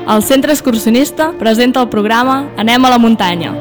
El Centre Excursionista presenta el programa Anem a la muntanya.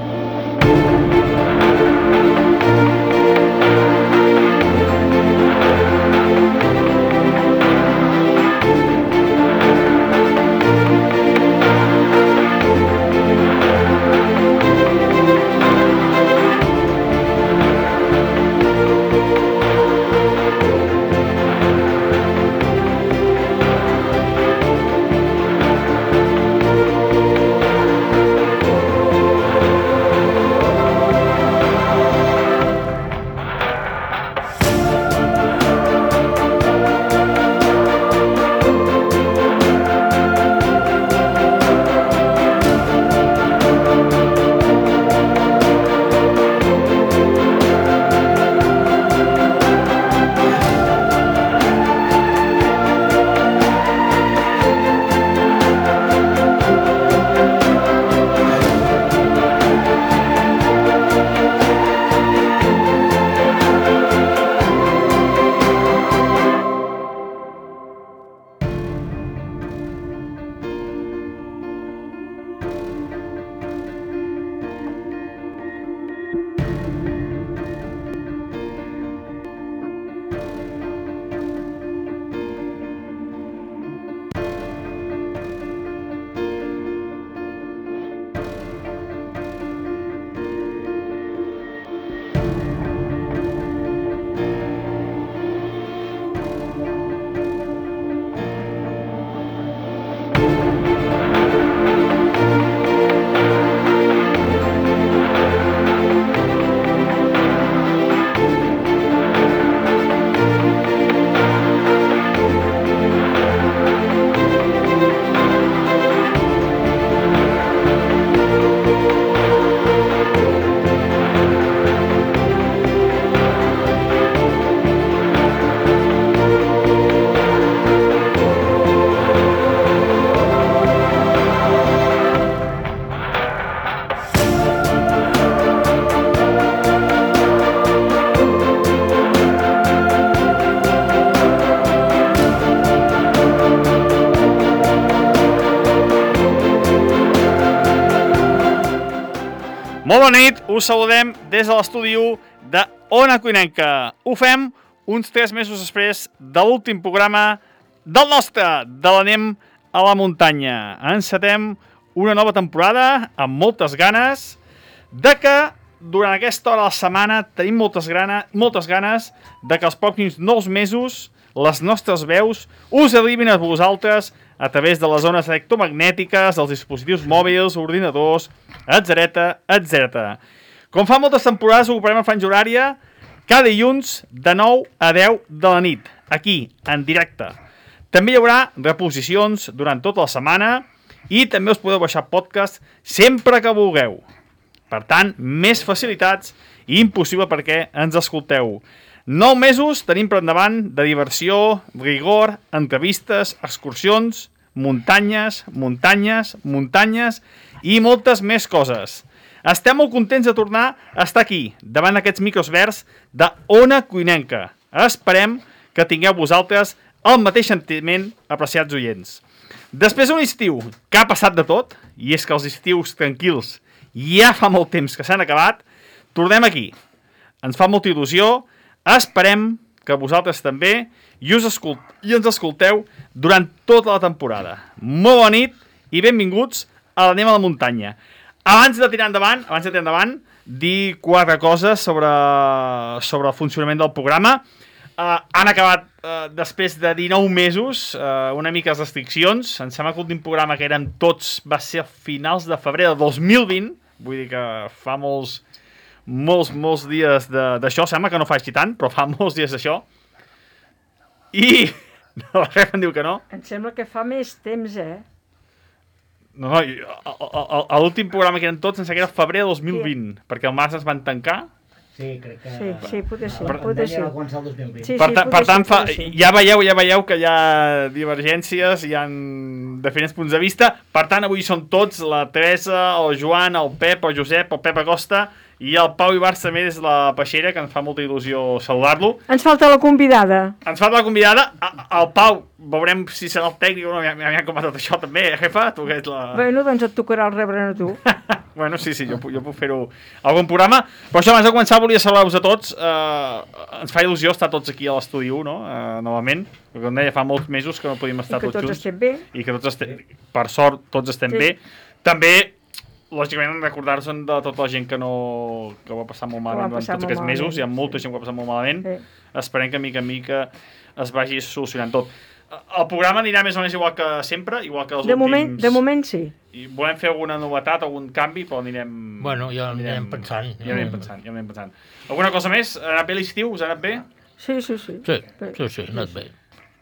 Molt bona nit, us saludem des de l'estudi 1 de Ona Cuinenca. Ho fem uns 3 mesos després de l'últim programa del nostre, de l'Anem a la muntanya. Encetem una nova temporada amb moltes ganes de que durant aquesta hora de la setmana tenim moltes ganes de que els pròxims 9 mesos les nostres veus us arribin a vosaltres a través de les ones electromagnètiques, dels dispositius mòbils, ordinadors, etc. Com fa moltes temporades, ho operem a franja horària cada dilluns de 9 a 10 de la nit, aquí, en directe. També hi haurà reposicions durant tota la setmana i també us podeu baixar podcast sempre que vulgueu. Per tant, més facilitats i impossible perquè ens escolteu. 9 mesos tenim per endavant de diversió, rigor, entrevistes, excursions, muntanyes i moltes més coses. Estem molt contents de tornar a estar aquí, davant d'aquests micros verds de Ona Cuinenca. Esperem que tingueu vosaltres el mateix sentiment, apreciats oients. Després d'un estiu que ha passat de tot, i és que els estius tranquils ja fa molt temps que s'han acabat, tornem aquí. Ens fa molta il·lusió. Esperem que vosaltres també i ens escolteu durant tota la temporada. Molt bona nit i benvinguts a l'Anem a la muntanya. Abans de tirar endavant, dir 4 coses sobre el funcionament del programa. Han acabat, després de 19 mesos, una mica les restriccions. Em sembla que l'últim programa que érem tots va ser a finals de febrer de 2020. Vull dir que fa molts dies d'això. Sembla que no fa així tant, però fa molts dies d'això. I... la Refa em diu que no. Em sembla que fa més temps, No, l'últim programa que eren tots em sembla que era febrer de 2020, perquè al març es van tancar. Sí, crec que... Sí, potser sí. Començar el 2020. Per tant, ja veieu que hi ha divergències, hi ha diferents punts de vista. Per tant, avui són tots, la Teresa, el Joan, el Pep, el Josep, el Pep Acosta I el Pau Ibarz també des de la Peixera, que ens fa molta il·lusió saludar-lo. Ens falta la convidada. Ens falta la convidada. El Pau, veurem si serà el tècnic o no. M'ha com tot això també, jefa? Tu que ets la... Bueno, doncs et tocarà el rebre a tu. Bueno, sí, jo puc fer-ho algun programa. Però això, abans de començar, volia saludar-vos a tots. Ens fa il·lusió estar tots aquí a l'estudi 1, no? Novament. Perquè, com deia, fa molts mesos que no podíem estar tots junts. I que tots estem bé. I que tots estem, per sort, tots estem bé. També, lògicament, recordar-nos de tota la gent que va passar molt malament durant tots aquests mesos. Hi ha molta gent que va passar molt malament. Esperem que, mica en mica, es vagi solucionant tot. El programa anirà més o menys igual que sempre, igual que els últims... De moment sí. I volem fer alguna novetat, algun canvi, però anirem... Bueno, ja anirem pensant. Ja anirem pensant. Alguna cosa més? Ha anat bé l'estiu? Us ha anat bé? Sí. Sí, ha anat bé.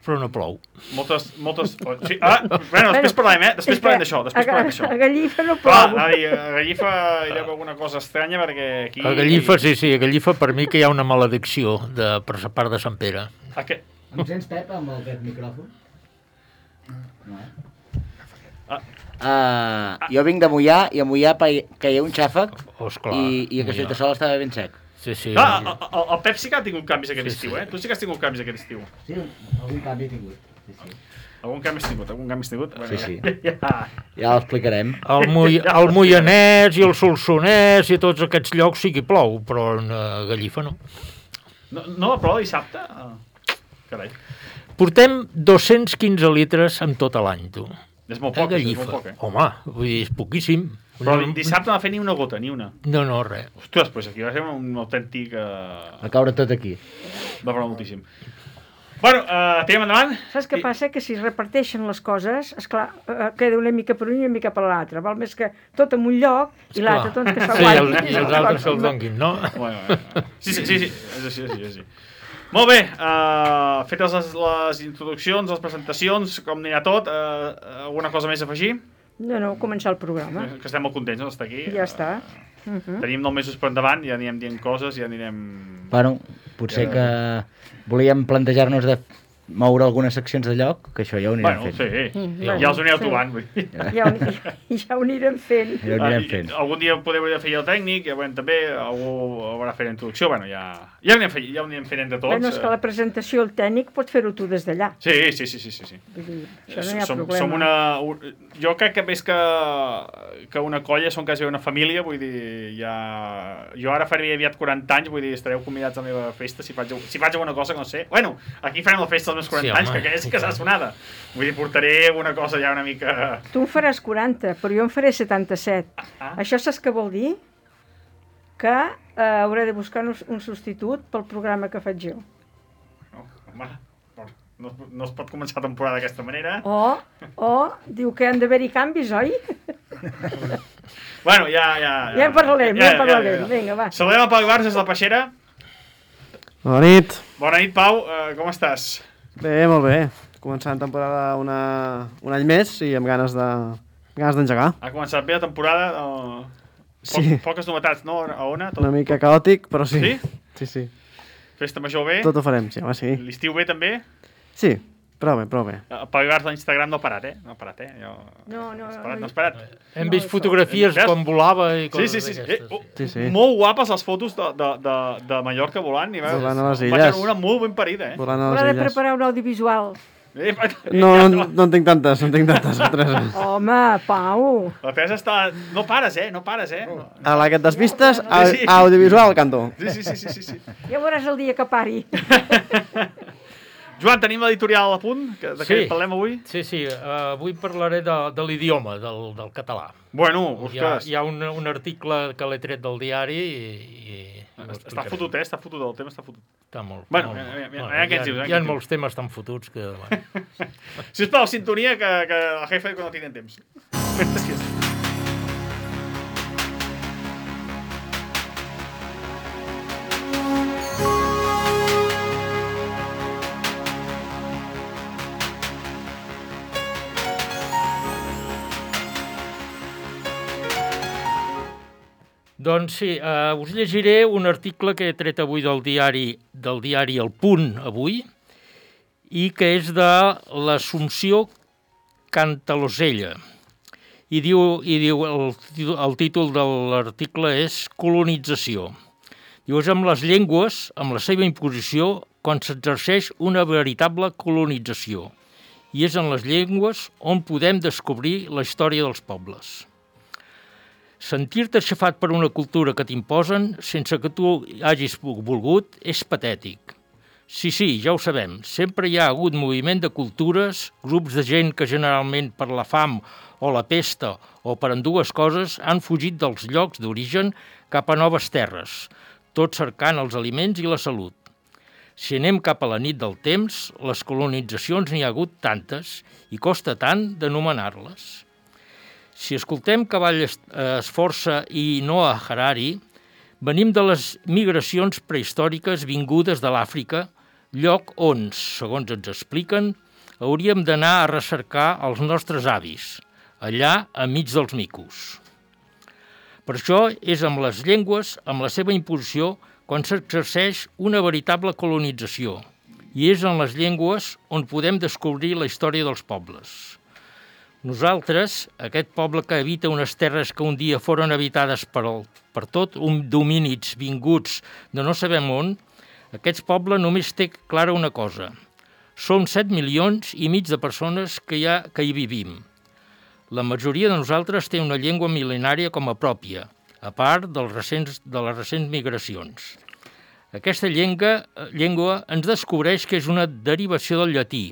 Però no plou. Moltes... Sí. Bueno, després parlem, Després parlem d'això. A Gallifa no plou. A Gallifa hi ha alguna cosa estranya, perquè aquí... A Gallifa, sí, a Gallifa per mi que hi ha una maledicció per la part de Sant Pere. Em sents, Pep, amb aquest micròfon? No, jo vinc de Moià, i a Moià caia un xàfec i a Castellterçol estava ben sec. Sí. El Pep sí que ha tingut canvis aquest estiu, Tu sí que has tingut canvis aquest estiu. Sí, algun canvi he tingut. Sí. Algun canvi has tingut? Bueno, sí. Ja l'explicarem. El Moianès i el Solsonès i tots aquests llocs sí que plou, però a Gallifa no. No va ploure dissabte? Carai. Portem 215 litres en tot l'any, tu. És molt poc, Home, vull dir, és poquíssim. Però dissabte no va fer ni una gota, ni una. No, res. Ostres, doncs aquí va ser un autèntic... Va caure tot aquí. Va ploure moltíssim. Bueno, tirem endavant. Saps què passa? Que si es reparteixen les coses, esclar, queda una mica per un i una mica per l'altre. Val més que tot en un lloc i l'altre tot que s'aguanti. Sí, i els altres se'ls donguin, no? Sí, és així. Molt bé, fetes les introduccions, les presentacions, com anirà tot, alguna cosa més a afegir? No, començar el programa. Que estem molt contents d'estar aquí. Ja està. Tenim 9 mesos per endavant, ja anirem dient coses, ja anirem... Bueno, potser que volíem plantejar-nos de moure algunes seccions de lloc, que això ja ho anirem fent. Sí, ja els anireu trobant. Ja ho anirem fent. Algun dia podeu fer el tècnic, ja veurem també, algú haurà fet la introducció, bueno, ja ho anirem fent entre tots. Bueno, és que la presentació, el tècnic, pot fer-ho tu des d'allà. Sí. Vull dir, això no hi ha problema. Jo crec que més que una colla som quasi una família, vull dir, jo ara faré aviat 40 anys, vull dir, estareu convidats a la meva festa, si faig alguna cosa que no sé. Bueno, aquí farem la festa dels meus 40 anys, que aquella sí que serà sonada. Vull dir, portaré una cosa ja una mica... Tu en faràs 40, però jo en faré 77. Això saps què vol dir? Que hauré de buscar un substitut pel programa que faig jo. No, home, no es pot començar la temporada d'aquesta manera. Diu que han d'haver-hi canvis, oi? Bueno, ja... Ja en parlarem. Vinga, va. Saludem el Pau Ibarz des de la Peixera. Bona nit. Bona nit, Pau. Com estàs? Bé, molt bé. Començant temporada un any més i amb ganes d'engegar. Ha començat bé la temporada. Sí. Poques novetats, no? A Ona? Una mica caòtic, però sí. Sí? Sí. Festa major bé? Tot ho farem, sí, home, sí. L'estiu bé també? Sí, prou bé. El Pau Ibarz a Instagram no ha parat, No ha parat, No has parat. Hem vist fotografies quan volava i coses d'aquestes. Sí. Molt guapes les fotos de Mallorca volant. Volant a les illes. Vaig una molt ben parida, Volant a les Haurà illes. de preparar un audiovisual. No en tinc tantes, Home, Pau. La Teresa està... No pares, A la que et despistes, audiovisual, canto. Sí. Ja veuràs el dia que pari. Joan, tenim l'editorial a punt? De què parlem avui? Sí. Avui parlaré de l'idioma, del català. Bueno, ostres. Hi ha un article que l'he tret del diari i està fotut, Està fotut, el tema està fotut. Està molt. Bueno, què ens dius? Hi ha molts temes tan fotuts que... Sisplau, sintonia, que la jefa diu que no tenen temps. Gràcies. Doncs sí, us llegiré un article que he tret avui del diari El Punt, avui, i que és de l'Assumpció Cantalosella. i diu el títol de l'article és Colonització. Diu, és amb les llengües, amb la seva imposició, quan s'exerceix una veritable colonització. I és en les llengües on podem descobrir la història dels pobles. Sentir-te aixafat per una cultura que t'imposen sense que tu hagis volgut és patètic. Sí, ja ho sabem, sempre hi ha hagut moviment de cultures, grups de gent que generalment per la fam o la pesta o per ambdues coses han fugit dels llocs d'origen cap a noves terres, tot cercant els aliments i la salut. Si anem cap a la nit del temps, les colonitzacions n'hi ha hagut tantes i costa tant d'anomenar-les. Si escoltem Cavall Esforça i Noah Harari, venim de les migracions prehistòriques vingudes de l'Àfrica, lloc on, segons ens expliquen, hauríem d'anar a recercar els nostres avis, allà enmig dels micos. Per això és amb les llengües, amb la seva imposició, quan s'exerceix una veritable colonització, i és en les llengües on podem descobrir la història dels pobles. Nosaltres, aquest poble que habita unes terres que un dia foren habitades per tot un domínids vinguts de no sabem on, aquest poble només té clara una cosa. Som 7 milions i mig de persones que hi vivim. La majoria de nosaltres té una llengua mil·lenària com a pròpia, a part de les recents migracions. Aquesta llengua ens descobreix que és una derivació del llatí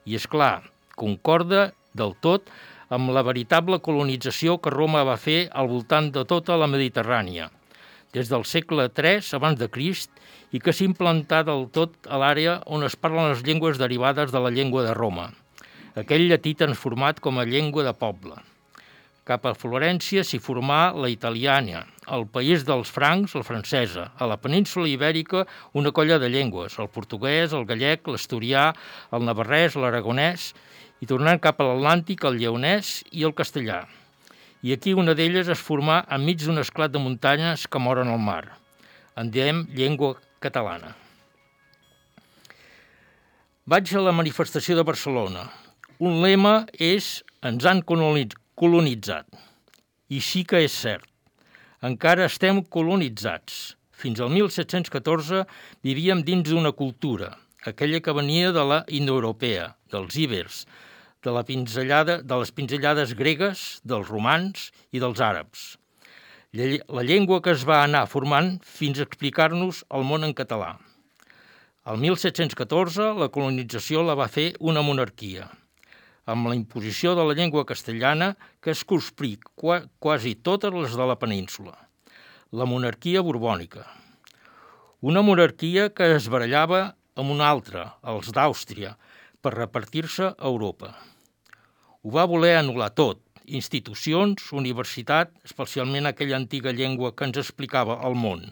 i, és clar, concorda del tot amb la veritable colonització que Roma va fer al voltant de tota la Mediterrània, des del segle III abans de Crist, i que s'ha implantat del tot a l'àrea on es parlen les llengües derivades de la llengua de Roma, aquell llatí transformat com a llengua de poble. Cap a Florència s'hi formà la italiana, al país dels francs, la francesa, a la península ibèrica una colla de llengües, el portuguès, el gallec, l'asturià, el navarrès, l'aragonès, i tornant cap a l'Atlàntic, el lleonès i el castellà. I aquí una d'elles es formà enmig d'un esclat de muntanyes que moren al mar. En diem llengua catalana. Vaig a la manifestació de Barcelona. Un lema és «Ens han colonitzat». I sí que és cert. Encara estem colonitzats. Fins al 1714 vivíem dins d'una cultura, aquella que venia de la indoeuropea, dels ibers, de les pinzellades gregues, dels romans i dels àrabs. La llengua que es va anar formant fins a explicar-nos el món en català. El 1714 la colonització la va fer una monarquia, amb la imposició de la llengua castellana que es consprí quasi totes les de la península. La monarquia borbònica. Una monarquia que es barallava amb una altra, els d'Àustria, per repartir-se a Europa. Ho va voler anul·lar tot, institucions, universitat, especialment aquella antiga llengua que ens explicava el món.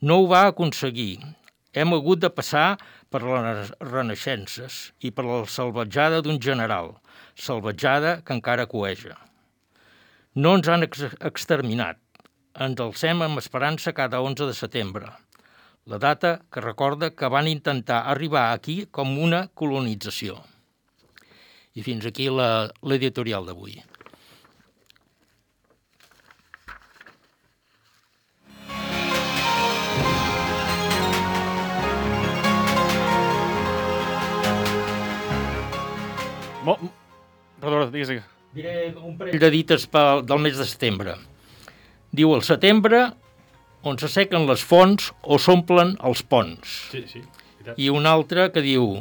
No ho va aconseguir. Hem hagut de passar per les renaixences i per la salvatjada d'un general, salvatjada que encara coeja. No ens han exterminat. Ens alcem amb esperança cada 11 de setembre. La data que recorda que van intentar arribar aquí com una colonització. I fins aquí l'editorial d'avui. Perdó, digues. Diré un parell de dites del mes de setembre. Diu, al setembre, on s'assequen les fonts o s'omplen els ponts. Sí. I un altre que diu,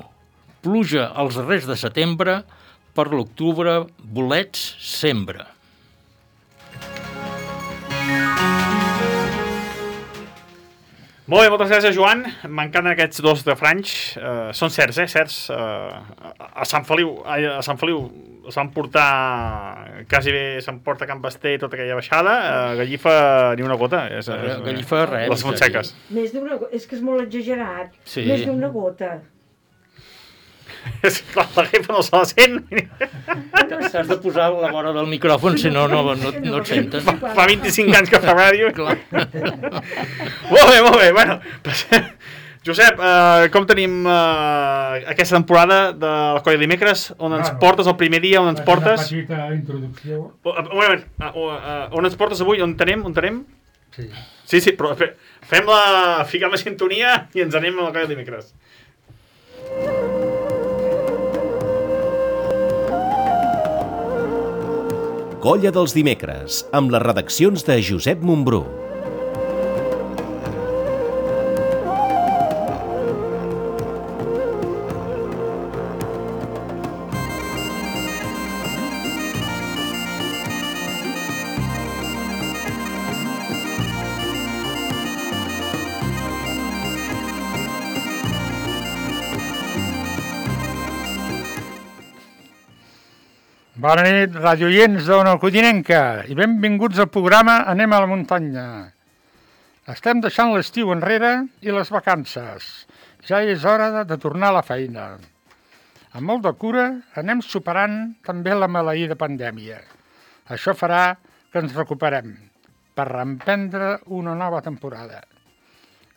pluja als darrers de setembre, per l'octubre bolets sembra. Molt bé, moltes gràcies, Joan. M'encanten aquests dos de Franys. Són certs, certs. A Sant Feliu es van portar, quasi bé se'n porta Can Basté i tota aquella baixada. Gallifa, ni una gota. Gallifa, res. Les Fontseques. Més d'una gota, és que és molt exagerat. Sí. Més d'una gota. És clar, la Gallifa no se la sent. T'has de posar a la vora del micròfon, si no et senten. Fa 25 anys que fa ràdio. Clar. Molt bé. Bueno, Josep, com tenim aquesta temporada de la Colla Dimecres? On ens portes el primer dia? On ens portes? Una petita introducció. Un moment, on ens portes avui? On tenim? Sí. Sí, però fiquem la sintonia i ens anem a la Colla Dimecres. Colla dels Dimecres, amb les redaccions de Josep Montbrú. Bona nit, radioients d'Ona Codinenca, i benvinguts al programa Anem a la muntanya. Estem deixant l'estiu enrere i les vacances. Ja és hora de tornar a la feina. Amb molt de cura anem superant també la maleïda pandèmia. Això farà que ens recuperem per reemprendre una nova temporada.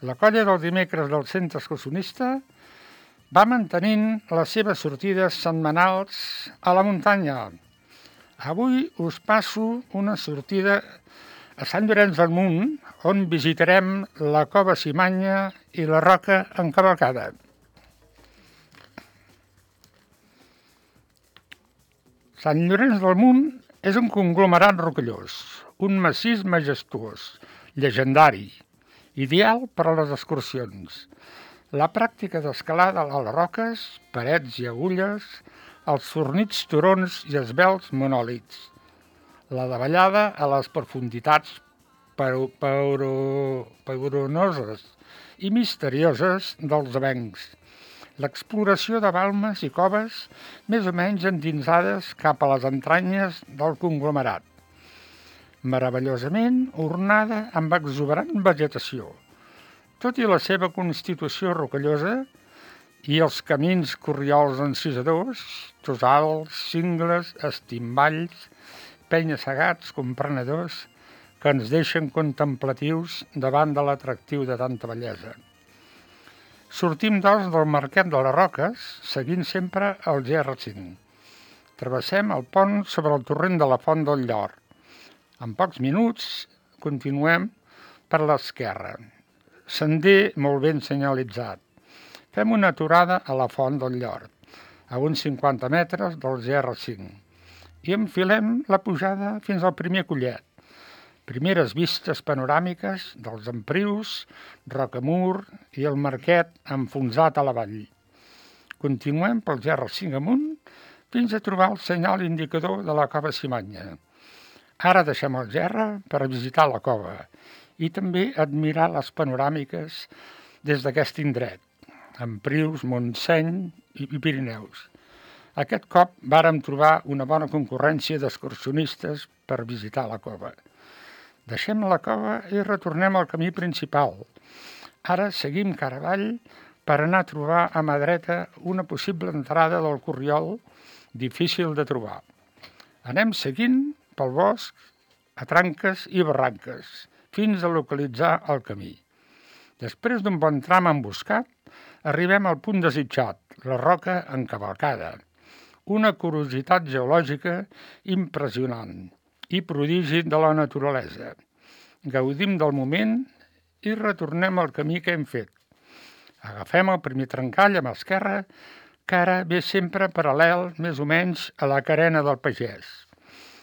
La colla del dimecres del centre excursionista va mantenint les seves sortides setmanals a la muntanya. Avui us passo una sortida a Sant Llorenç del Munt, on visitarem la Cova Simanya i la Roca en cavalcada. Sant Llorenç del Munt és un conglomerat rocallós, un massís majestuós, llegendari, ideal per a les excursions. La pràctica d'escalada a les roques, parets i agulles, els fornits turons i esvelts monòlits. La davallada a les profunditats pauronoses i misterioses dels avencs. L'exploració de balmes i coves més o menys endinsades cap a les entranyes del conglomerat. Meravellosament ornada amb exuberant vegetació. Tot i la seva constitució rocallosa i els camins corriols encisadors, tossals, cingles, estimballs, penya-segats, comprenedors, que ens deixen contemplatius davant de l'atractiu de tanta bellesa. Sortim, doncs, del Marquet de les Roques, seguint sempre el GR5. Travessem el pont sobre el torrent de la Font del Llor. En pocs minuts continuem per l'esquerra. Sender molt ben senyalitzat. Fem una aturada a la Font del Llor, a uns 50 metres del GR5, i enfilem la pujada fins al primer collet. Primeres vistes panoràmiques dels Emprius, Rocamur i el Marquet enfonsat a la vall. Continuem pel GR5 amunt fins a trobar el senyal indicador de la Cova Simanya. Ara deixem el GR per visitar la cova i també admirar les panoràmiques des d'aquest indret, Emprius, Montseny i Pirineus. Aquest cop vàrem trobar una bona concurrència d'excursionistes per visitar la cova. Deixem la cova i retornem al camí principal. Ara seguim cara avall per anar a trobar a mà dreta una possible entrada del Corriol difícil de trobar. Anem seguint pel bosc, a tranques i barranques, fins a localitzar el camí. Després d'un bon tram emboscat, arribem al punt desitjat, la Roca en cavalcada, una curiositat geològica impressionant i prodigi de la naturalesa. Gaudim del moment i retornem al camí que hem fet. Agafem el primer trencall amb esquerra, que ara ve sempre paral·lel més o menys a la carena del Pagès.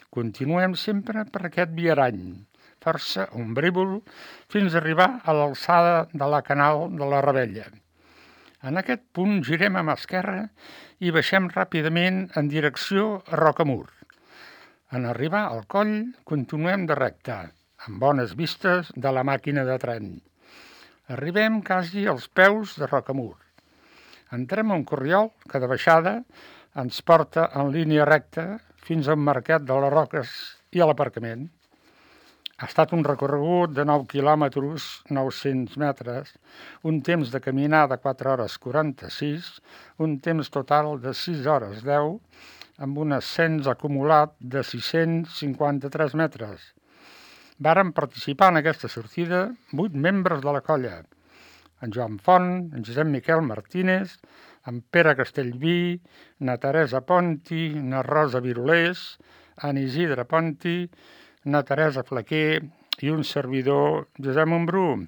Continuem sempre per aquest viarany, força ombrívol, fins a arribar a l'alçada de la Canal de la Ravella. En aquest punt girem a mà esquerra i baixem ràpidament en direcció a Rocamur. En arribar al coll, continuem de recte, amb bones vistes de la màquina de tren. Arribem quasi als peus de Rocamur. Entrem a un corriol que de baixada ens porta en línia recta fins al Marquet de les Roques i a l'aparcament. Ha estat un recorregut de 9 quilòmetres, 900 metres, un temps de caminar de 4 hores 46, un temps total de 6 hores 10, amb un ascens acumulat de 653 metres. Varen participar en aquesta sortida 8 membres de la colla. en Joan Font, en Josep Miquel Martínez, en Pere Castellví, na Teresa Ponti, na Rosa Virolés, en Isidre Ponti, na Teresa Flaquer i un servidor, Josep Mombrú.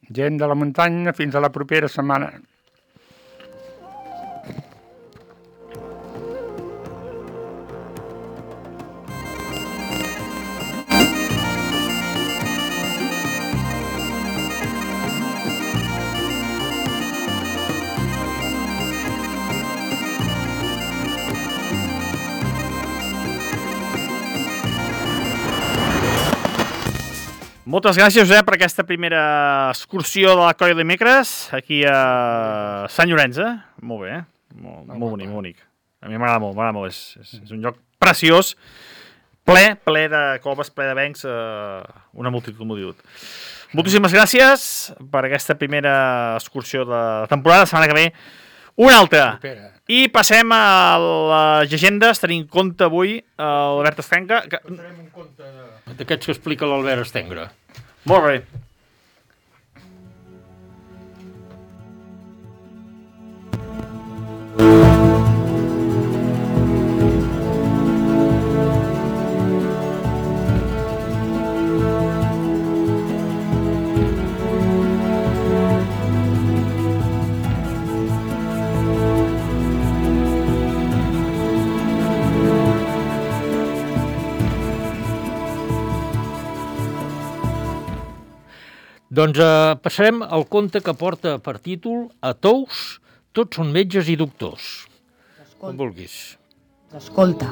Gent de la muntanya, fins a la propera setmana. Moltes gràcies, Josep, per aquesta primera excursió de la Colla Dimecres aquí a Sant Llorenç. Molt bé, molt bonic, molt bonic. A mi m'agrada molt, és un lloc preciós, ple de coves, ple de bancs, una multitud. Moltíssimes gràcies per aquesta primera excursió de la temporada. La setmana que ve una altra. I passem a les llegendes, tenint en compte avui l'Albert Estenga. Farem un conte d'aquests que explica l'Albert Estenga. Molt bé. Doncs passarem al conte que porta per títol A Tous, tots són metges i doctors. Com vulguis. Escolta,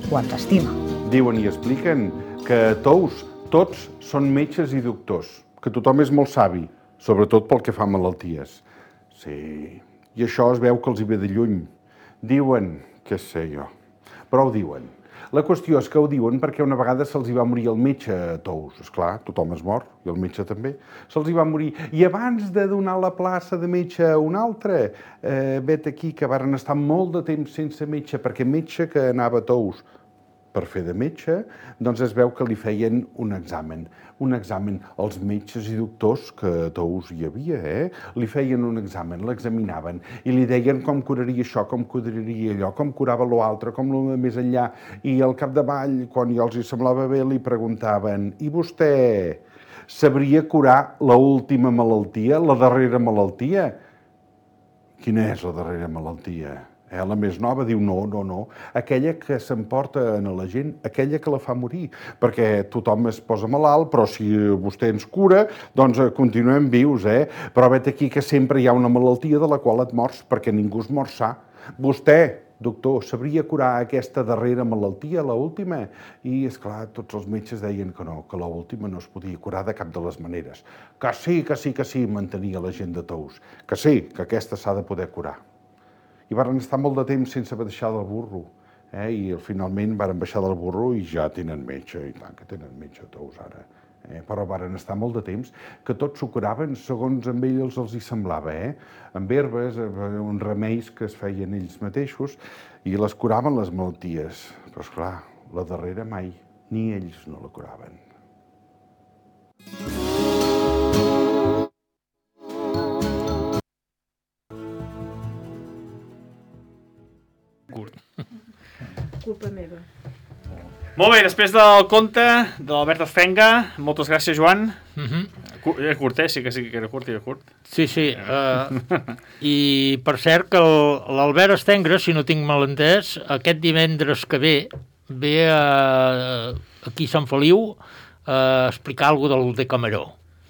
quan t'estima. Diuen i expliquen que a Tous tots són metges i doctors, que tothom és molt savi, sobretot pel que fa a malalties. Sí, i això es veu que els hi ve de lluny. Diuen, què sé jo, però ho diuen. La qüestió és que ho diuen perquè una vegada se'ls hi va morir el metge a Tous. Esclar, tothom es mor, i el metge també. Se'ls hi va morir. I abans de donar la plaça de metge a un altre, vet aquí que varen estar molt de temps sense metge, perquè metge que anava a Tous per fer de metge, doncs es veu que li feien un examen. Un examen. Els metges i doctors, que a Tous hi havia, li feien un examen, l'examinaven i li deien com curaria això, com curaria allò, com curava l'altre, com lo més enllà. I al capdavall, quan ja els hi semblava bé, li preguntaven: i vostè sabria curar l'última malaltia, la darrera malaltia? Quina és la darrera malaltia? La més nova diu no, aquella que s'emporta a la gent, aquella que la fa morir, perquè tothom es posa malalt, però si vostè ens cura, doncs continuem vius, Però vet aquí que sempre hi ha una malaltia de la qual et mors, perquè ningú es mor sa. Vostè, doctor, sabria curar aquesta darrera malaltia, l'última? I, esclar, tots els metges deien que no, que l'última no es podia curar de cap de les maneres. Que sí, mantenia la gent de Tous. Que sí, que aquesta s'ha de poder curar. I varen estar molt de temps sense baixar del burro, i finalment varen baixar del burro i ja tenen metge, i tant que tenen metge a Tous ara. Però varen estar molt de temps que tots s'ho curaven segons amb ells els hi semblava, amb herbes, uns remeis que es feien ells mateixos i les curaven les malalties. Però esclar, la darrera mai, ni ells no la curaven. Culpa meva. Molt bé, després del conte de l'Albert Estenga, moltes gràcies, Joan. Era curt, sí que era curt. Sí. I per cert que l'Albert Estenga, si no tinc mal entès, aquest divendres que ve aquí a Sant Feliu a explicar alguna cosa del Decameró.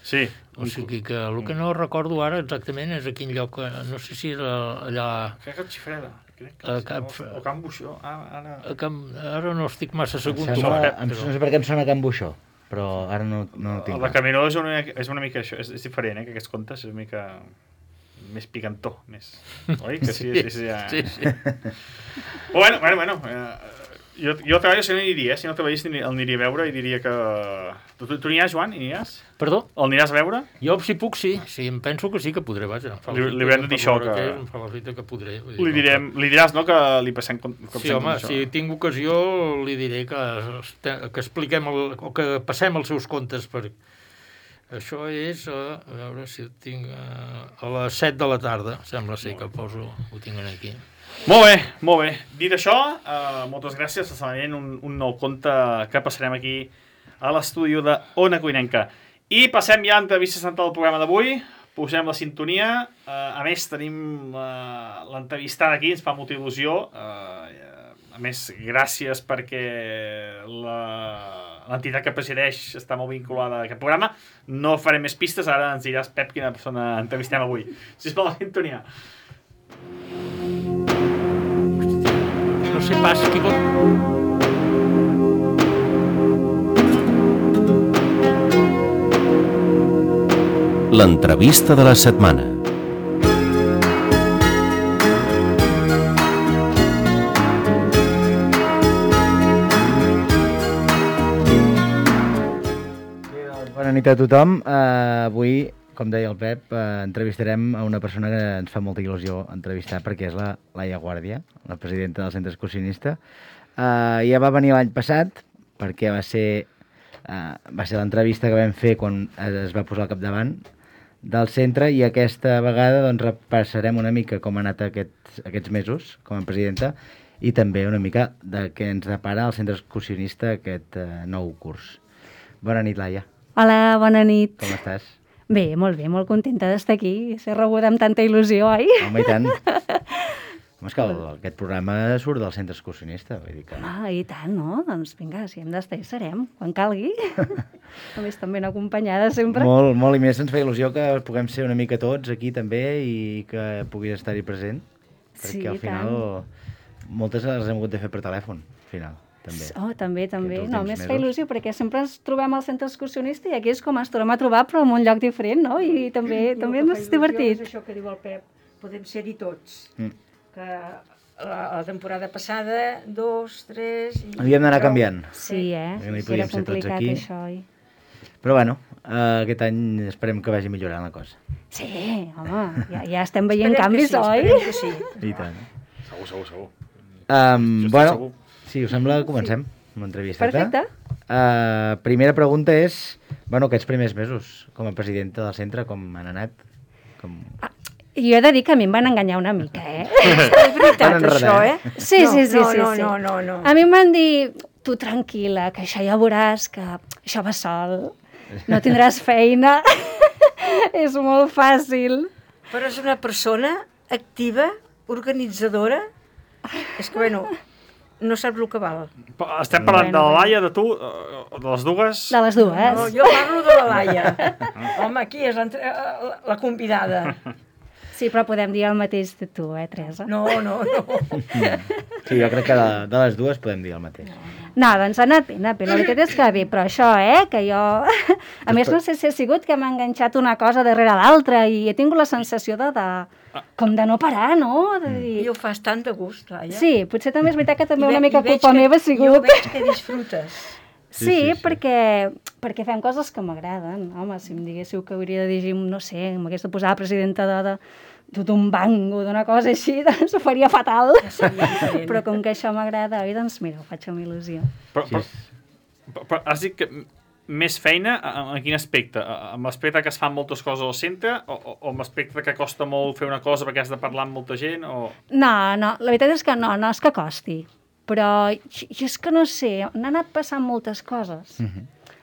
Sí. O sigui que el que no recordo ara exactament és a quin lloc, no sé si era allà... Crec que el Xifreda. O Can Buixó. Ara no estic massa segur. No sé per què em sona Can Buixó, però ara no tinc. El Decameró és una mica això, és diferent, que aquests contes és una mica més picantó, més. Oi? Que sí. Bueno. Jo treballo si no aniria, si no treballés el aniria a veure i diria que... Tu aniràs, Joan? Perdó? El aniràs a veure? Jo, si puc, sí. Em penso que sí que podré, vaja. Li haurem de dir això, que... Em fa la fita que podré. Li diràs, no?, que li passem com sí, home, si tinc ocasió li diré que expliquem o que passem els seus contes Això és, a veure si ho tinc, a les 7 de la tarda, sembla ser que ho tinc aquí. Molt bé. Dit això, moltes gràcies. Està veient un nou conte que passarem aquí a l'estudi de Ona Cuinenca. I passem ja a l'entrevista central del programa d'avui. Posem la sintonia. A més, tenim l'entrevistada aquí, ens fa molta il·lusió. A més, gràcies perquè l'entitat que presideix està molt vinculada a aquest programa. No farem més pistes, ara ens diràs, Pep, quina persona entrevistem avui. Sisplau, la sintonia. No sé pas qui pot... L'entrevista de la setmana. Bona nit a tothom. Avui, com deia el Pep, entrevistarem a una persona que ens fa molta il·lusió entrevistar perquè és la Laia Guàrdia, la presidenta del Centre Excursionista. Ja va venir l'any passat perquè va ser l'entrevista que vam fer quan es va posar al capdavant del centre i aquesta vegada doncs, repassarem una mica com ha anat aquests mesos com a presidenta i també una mica de què ens depara el Centre Excursionista aquest nou curs. Bona nit, Laia. Hola, bona nit. Com estàs? Bé, molt contenta d'estar aquí, ser rebuda amb tanta il·lusió, oi? Home, i tant. Home, és que aquest programa surt del Centre Excursionista, vull dir que... I tant, no? Doncs vinga, si hem d'estar hi serem, quan calgui. A més, també ben acompanyada sempre. Molt, i més ens fa il·lusió que puguem ser una mica tots aquí també i que puguis estar-hi present. Sí, perquè al final moltes les hem hagut de fer per telèfon, al final. També. També. No, més fa il·lusió, perquè sempre ens trobem al Centre Excursionista i aquí és com ens tornem a trobar, però en un lloc diferent, no? I també és divertit. És això que diu el Pep, podem ser-hi tots. Que la temporada passada, 2, 3... Havíem d'anar canviant. Sí, era complicat això, oi? Però bueno, aquest any esperem que vagi millorant la cosa. Sí, home, ja estem veient canvis, oi? Esperem que sí. I tant. Segur. Bueno, si us sembla, comencem amb l'entrevista. Perfecte. Primera pregunta és, aquests primers mesos com a presidenta del centre, com han anat? Jo he de dir que a mi em van enganyar una mica, És veritat, això, Sí. No. A mi em van dir, tu tranquil·la, que això ja veuràs, que això va sol, no tindràs feina, és molt fàcil. Però és una persona activa, organitzadora, és que, no sap el que val. Estem parlant de la Laia, de tu, de les dues? De les dues. No, jo parlo de la Laia. Home, aquí és la convidada. Sí, però podem dir el mateix de tu, Teresa? No. Sí, jo crec que de les dues podem dir el mateix. No, doncs ha anat bé. La veritat és que bé, però això, que jo... A més, no sé si ha sigut que m'ha enganxat una cosa darrere l'altra i he tingut la sensació com de no parar, no? I ho fas tant de gust, Laia. Sí, potser també és veritat que també una mica culpa meva ha sigut... Jo veig que disfrutes. Sí, perquè fem coses que m'agraden. Home, si em diguéssiu que hauria de dirigir, no sé, m'hagués de posar presidenta d'un banc o d'una cosa així, doncs ho faria fatal. Però com que això m'agrada, doncs mira, ho faig amb il·lusió. Però has dit que més feina, en quin aspecte? Amb l'aspecte que es fan moltes coses al centre o amb l'aspecte que costa molt fer una cosa perquè has de parlar amb molta gent? No, la veritat és que no és que costi. Però jo és que no sé, n'han anat passant moltes coses.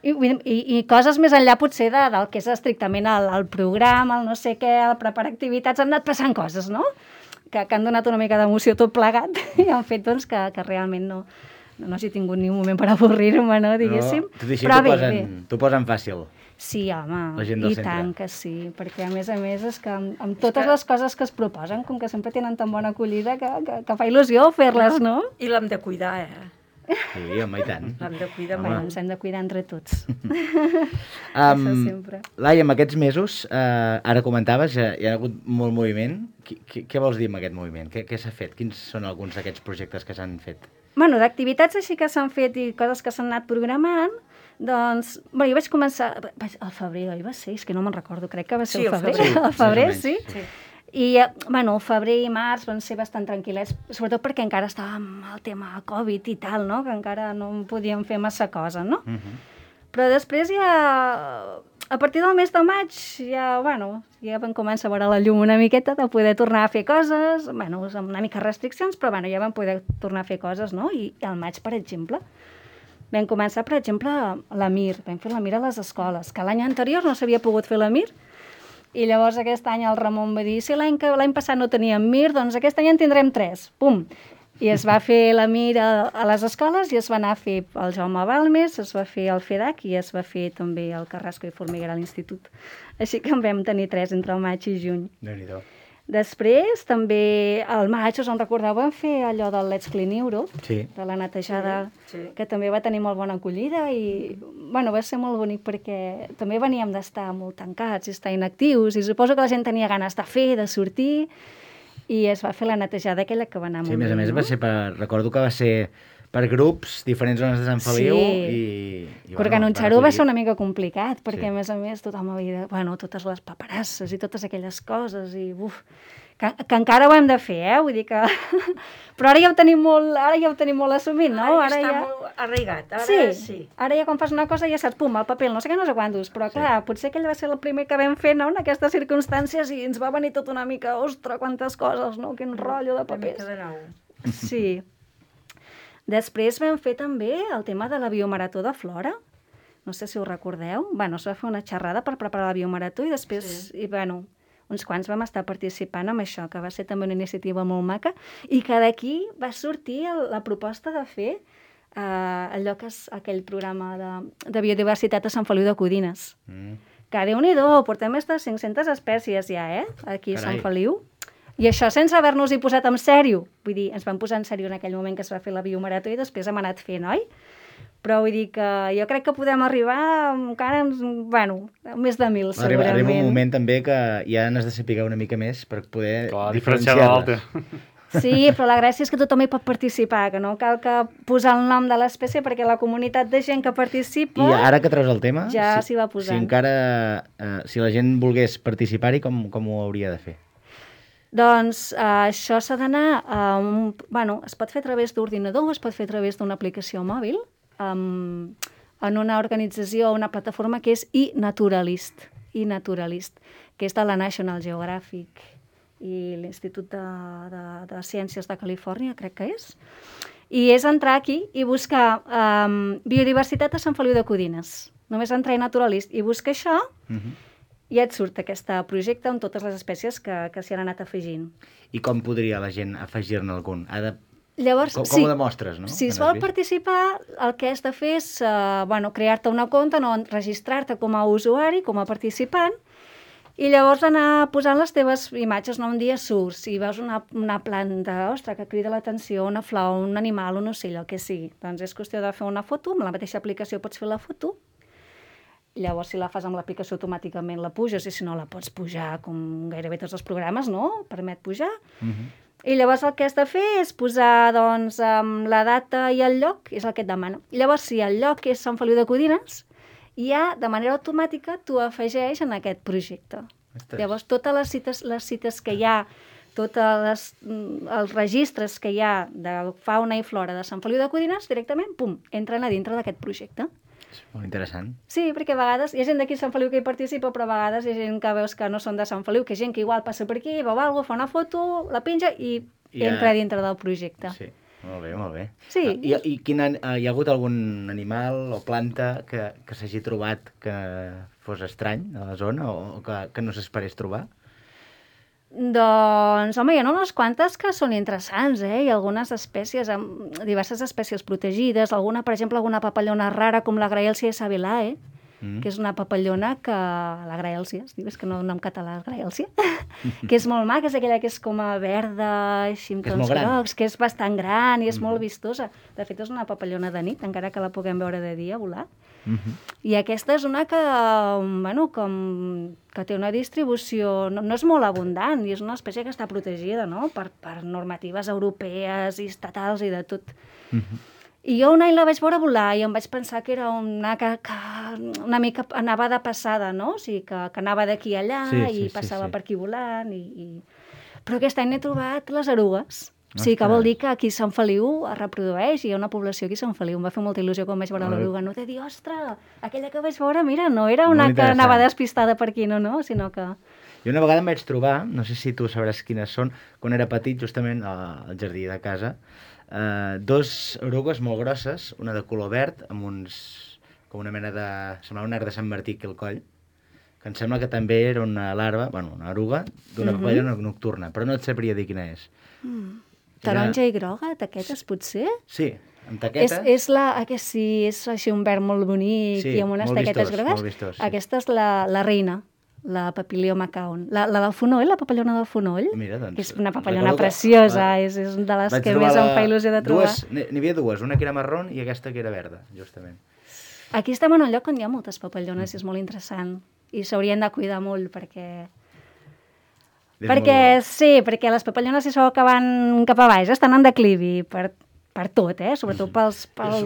I coses més enllà potser del que és estrictament el programa, el no sé què, el preparar activitats, han anat passant coses, no? Que han donat una mica d'emoció tot plegat i han fet doncs, que realment no hagi tingut ni un moment per avorrir-me, no, diguéssim. Tot i així t'ho posen fàcil. Sí, home, i tant que sí, perquè a més és que amb totes les coses que es proposen, com que sempre tenen tan bona acollida, que fa il·lusió fer-les, no? I l'hem de cuidar, Sí, home, i tant. L'hem de cuidar molt. Ens hem de cuidar entre tots. Laia, en aquests mesos, ara comentaves, hi ha hagut molt moviment. Què vols dir amb aquest moviment? Què s'ha fet? Quins són alguns d'aquests projectes que s'han fet? Bueno, d'activitats així que s'han fet i coses que s'han anat programant, doncs, jo vaig començar, al febrer, oi va ser? És que no me'n recordo, crec que va ser el febrer. Al febrer, sí. I, el febrer i març van ser bastant tranquil·lets, sobretot perquè encara estàvem amb el tema Covid i tal, no? Que encara no podíem fer massa cosa, no? Però després ja a partir del mes de maig ja vam començar a veure la llum una miqueta de poder tornar a fer coses, amb una mica restriccions, però ja vam poder tornar a fer coses, no? I al maig, per exemple, vam començar, per exemple, la MIR, vam fer la MIR a les escoles, que l'any anterior no s'havia pogut fer la MIR, i llavors aquest any el Ramon va dir, si l'any passat no teníem MIR, doncs aquest any en tindrem 3, pum! I es va fer la MIR a les escoles i es va anar a fer el Jaume Balmes, es va fer el FEDAC i es va fer també el Carrasco i Formiguera a l'institut. Així que en vam tenir 3 entre el maig i juny. Déu-n'hi-do. Després, també al maig, us en recordeu, vam fer allò del Let's Clean Euro, Sí. de la netejada, que també va tenir molt bona acollida i va ser molt bonic perquè també veníem d'estar molt tancats i estar inactius i suposo que la gent tenia ganes de fer, de sortir, i es va fer la netejada aquella que va anar molt bé. Sí, a més va ser recordo que va ser per grups, diferents zones de Sant Feliu, i organitzar-ho va ser una mica complicat, perquè a més tothom havia totes les paperasses i totes aquelles coses, i que encara ho hem de fer, vull dir que... Però ara ja ho tenim molt assumit, no? Ara ja està molt arraigat, sí. Ara ja quan fas una cosa ja saps, pum, el paper, no sé què, no sé quantos, però clar, potser aquell va ser el primer que vam fer, no?, en aquestes circumstàncies, i ens va venir tot una mica, ostres, quantes coses, no?, quin rotllo de papers. Una mica de nou. Sí. Després vam fer també el tema de la biomarató de Flora, no sé si ho recordeu, es va fer una xerrada per preparar la biomarató i després, uns quants vam estar participant amb això, que va ser també una iniciativa molt maca, i que d'aquí va sortir la proposta de fer allò que és aquell programa de biodiversitat a Sant Feliu de Codines. Que Déu-n'hi-do, portem més de 500 espècies ja, aquí a Sant Feliu. I això sense haver-nos-hi posat en sèrio. Vull dir, ens vam posar en sèrio en aquell moment que es va fer la biomarató i després hem anat fent, oi? Però vull dir que jo crec que podem arribar encara, més de 1.000, segurament. Arriba un moment també que ja n'has de saber una mica més per poder diferenciar de l'altre. Sí, però la gràcia és que tothom hi pot participar, que no cal que posar el nom de l'espècie perquè la comunitat de gent que participa... I ara que treus el tema, ja s'hi va posant. Si la gent volgués participar-hi, com ho hauria de fer? Doncs això s'ha d'anar... es pot fer a través d'ordinador, es pot fer a través d'una aplicació mòbil, en una organització, una plataforma que és iNaturalist, que és de la National Geographic i l'Institut de Ciències de Califòrnia, crec que és. I és entrar aquí i buscar biodiversitat a Sant Feliu de Codines. Només entrar iNaturalist i buscar això, i et surt aquest projecte amb totes les espècies que s'hi han anat afegint. I com podria la gent afegir-ne algun? Llavors, com ho demostres, no? Si es vol participar, el que has de fer és crear-te una compte, no registrar-te com a usuari, com a participant, i llavors anar posant les teves imatges. Un dia surts i veus una planta, ostres, que crida l'atenció, una flor, un animal, un ocell, el que sigui. Doncs és qüestió de fer una foto, amb la mateixa aplicació pots fer la foto. Llavors, si la fas amb l'aplicació, automàticament la puges, i si no, la pots pujar, com gairebé tots els programes, no? Permet pujar. I llavors el que has de fer és posar la data i el lloc, és el que et demana. Llavors, si el lloc és Sant Feliu de Codines, ja de manera automàtica t'ho afegeix en aquest projecte. Llavors, totes les cites que hi ha, tots els registres que hi ha de fauna i flora de Sant Feliu de Codines, directament, pum, entren a dintre d'aquest projecte. És molt interessant. Sí, perquè a vegades hi ha gent d'aquí a Sant Feliu que hi participa, però a vegades hi ha gent que veus que no són de Sant Feliu, que hi ha gent que igual passa per aquí, veu alguna cosa, fa una foto, la penja i entra dintre del projecte. Sí, molt bé, molt bé. Sí. Hi ha hagut algun animal o planta que s'hagi trobat que fos estrany a la zona o que no s'esperés trobar? Doncs, home, hi ha unes quantes que són interessants, i algunes espècies, diverses espècies protegides, per exemple, alguna papallona rara com la Graelsia sabilae, que és una papallona que... La Graelsia, es diu, és que no en català és Graelsia, que és molt maca, és aquella que és com a verda, així amb tons grocs, que és bastant gran i és molt vistosa. De fet, és una papallona de nit, encara que la puguem veure de dia volar. I aquesta és una que té una distribució, no és molt abundant, i és una espècie que està protegida, no?, per normatives europees i estatals i de tot. I jo un any la vaig veure volar i em vaig pensar que era una que una mica anava de passada, no? O sigui, que anava d'aquí a allà i passava per aquí volant. Però aquest any he trobat les erugues. Sí, que vol dir que aquí a Sant Feliu es reprodueix i hi ha una població aquí a Sant Feliu. Em va fer molta il·lusió quan vaig veure l'oruga. No t'he dit, ostres, aquella que vaig veure, mira, no era una que anava despistada per aquí, no, sinó que... I una vegada em vaig trobar, no sé si tu sabràs quines són, quan era petit, justament al jardí de casa, dos orugues molt grosses, una de color verd, amb uns... com una mena de... semblava un arc de Sant Martí aquí al coll, que em sembla que també era una larva, bueno, una oruga, d'una papallona nocturna, però no et sabria dir quina és. Taronja i groga, taquetes, potser? Sí, amb taquetes. És així un verd molt bonic i amb unes taquetes grogues. Molt vistós, sí. Aquesta és la reina, la Papilio macaon. La del fonoll, la papallona del fonoll, mira, doncs, que és una papallona preciosa, és de les que més em fa il·lusió de trobar. N'hi havia dues, una que era marrón i aquesta que era verda, justament. Aquí estem en un lloc on hi ha moltes papallones i és molt interessant. I s'haurien de cuidar molt perquè perquè les papallones, si sabeu que van cap a baix, estan en declivi per tot, sobretot per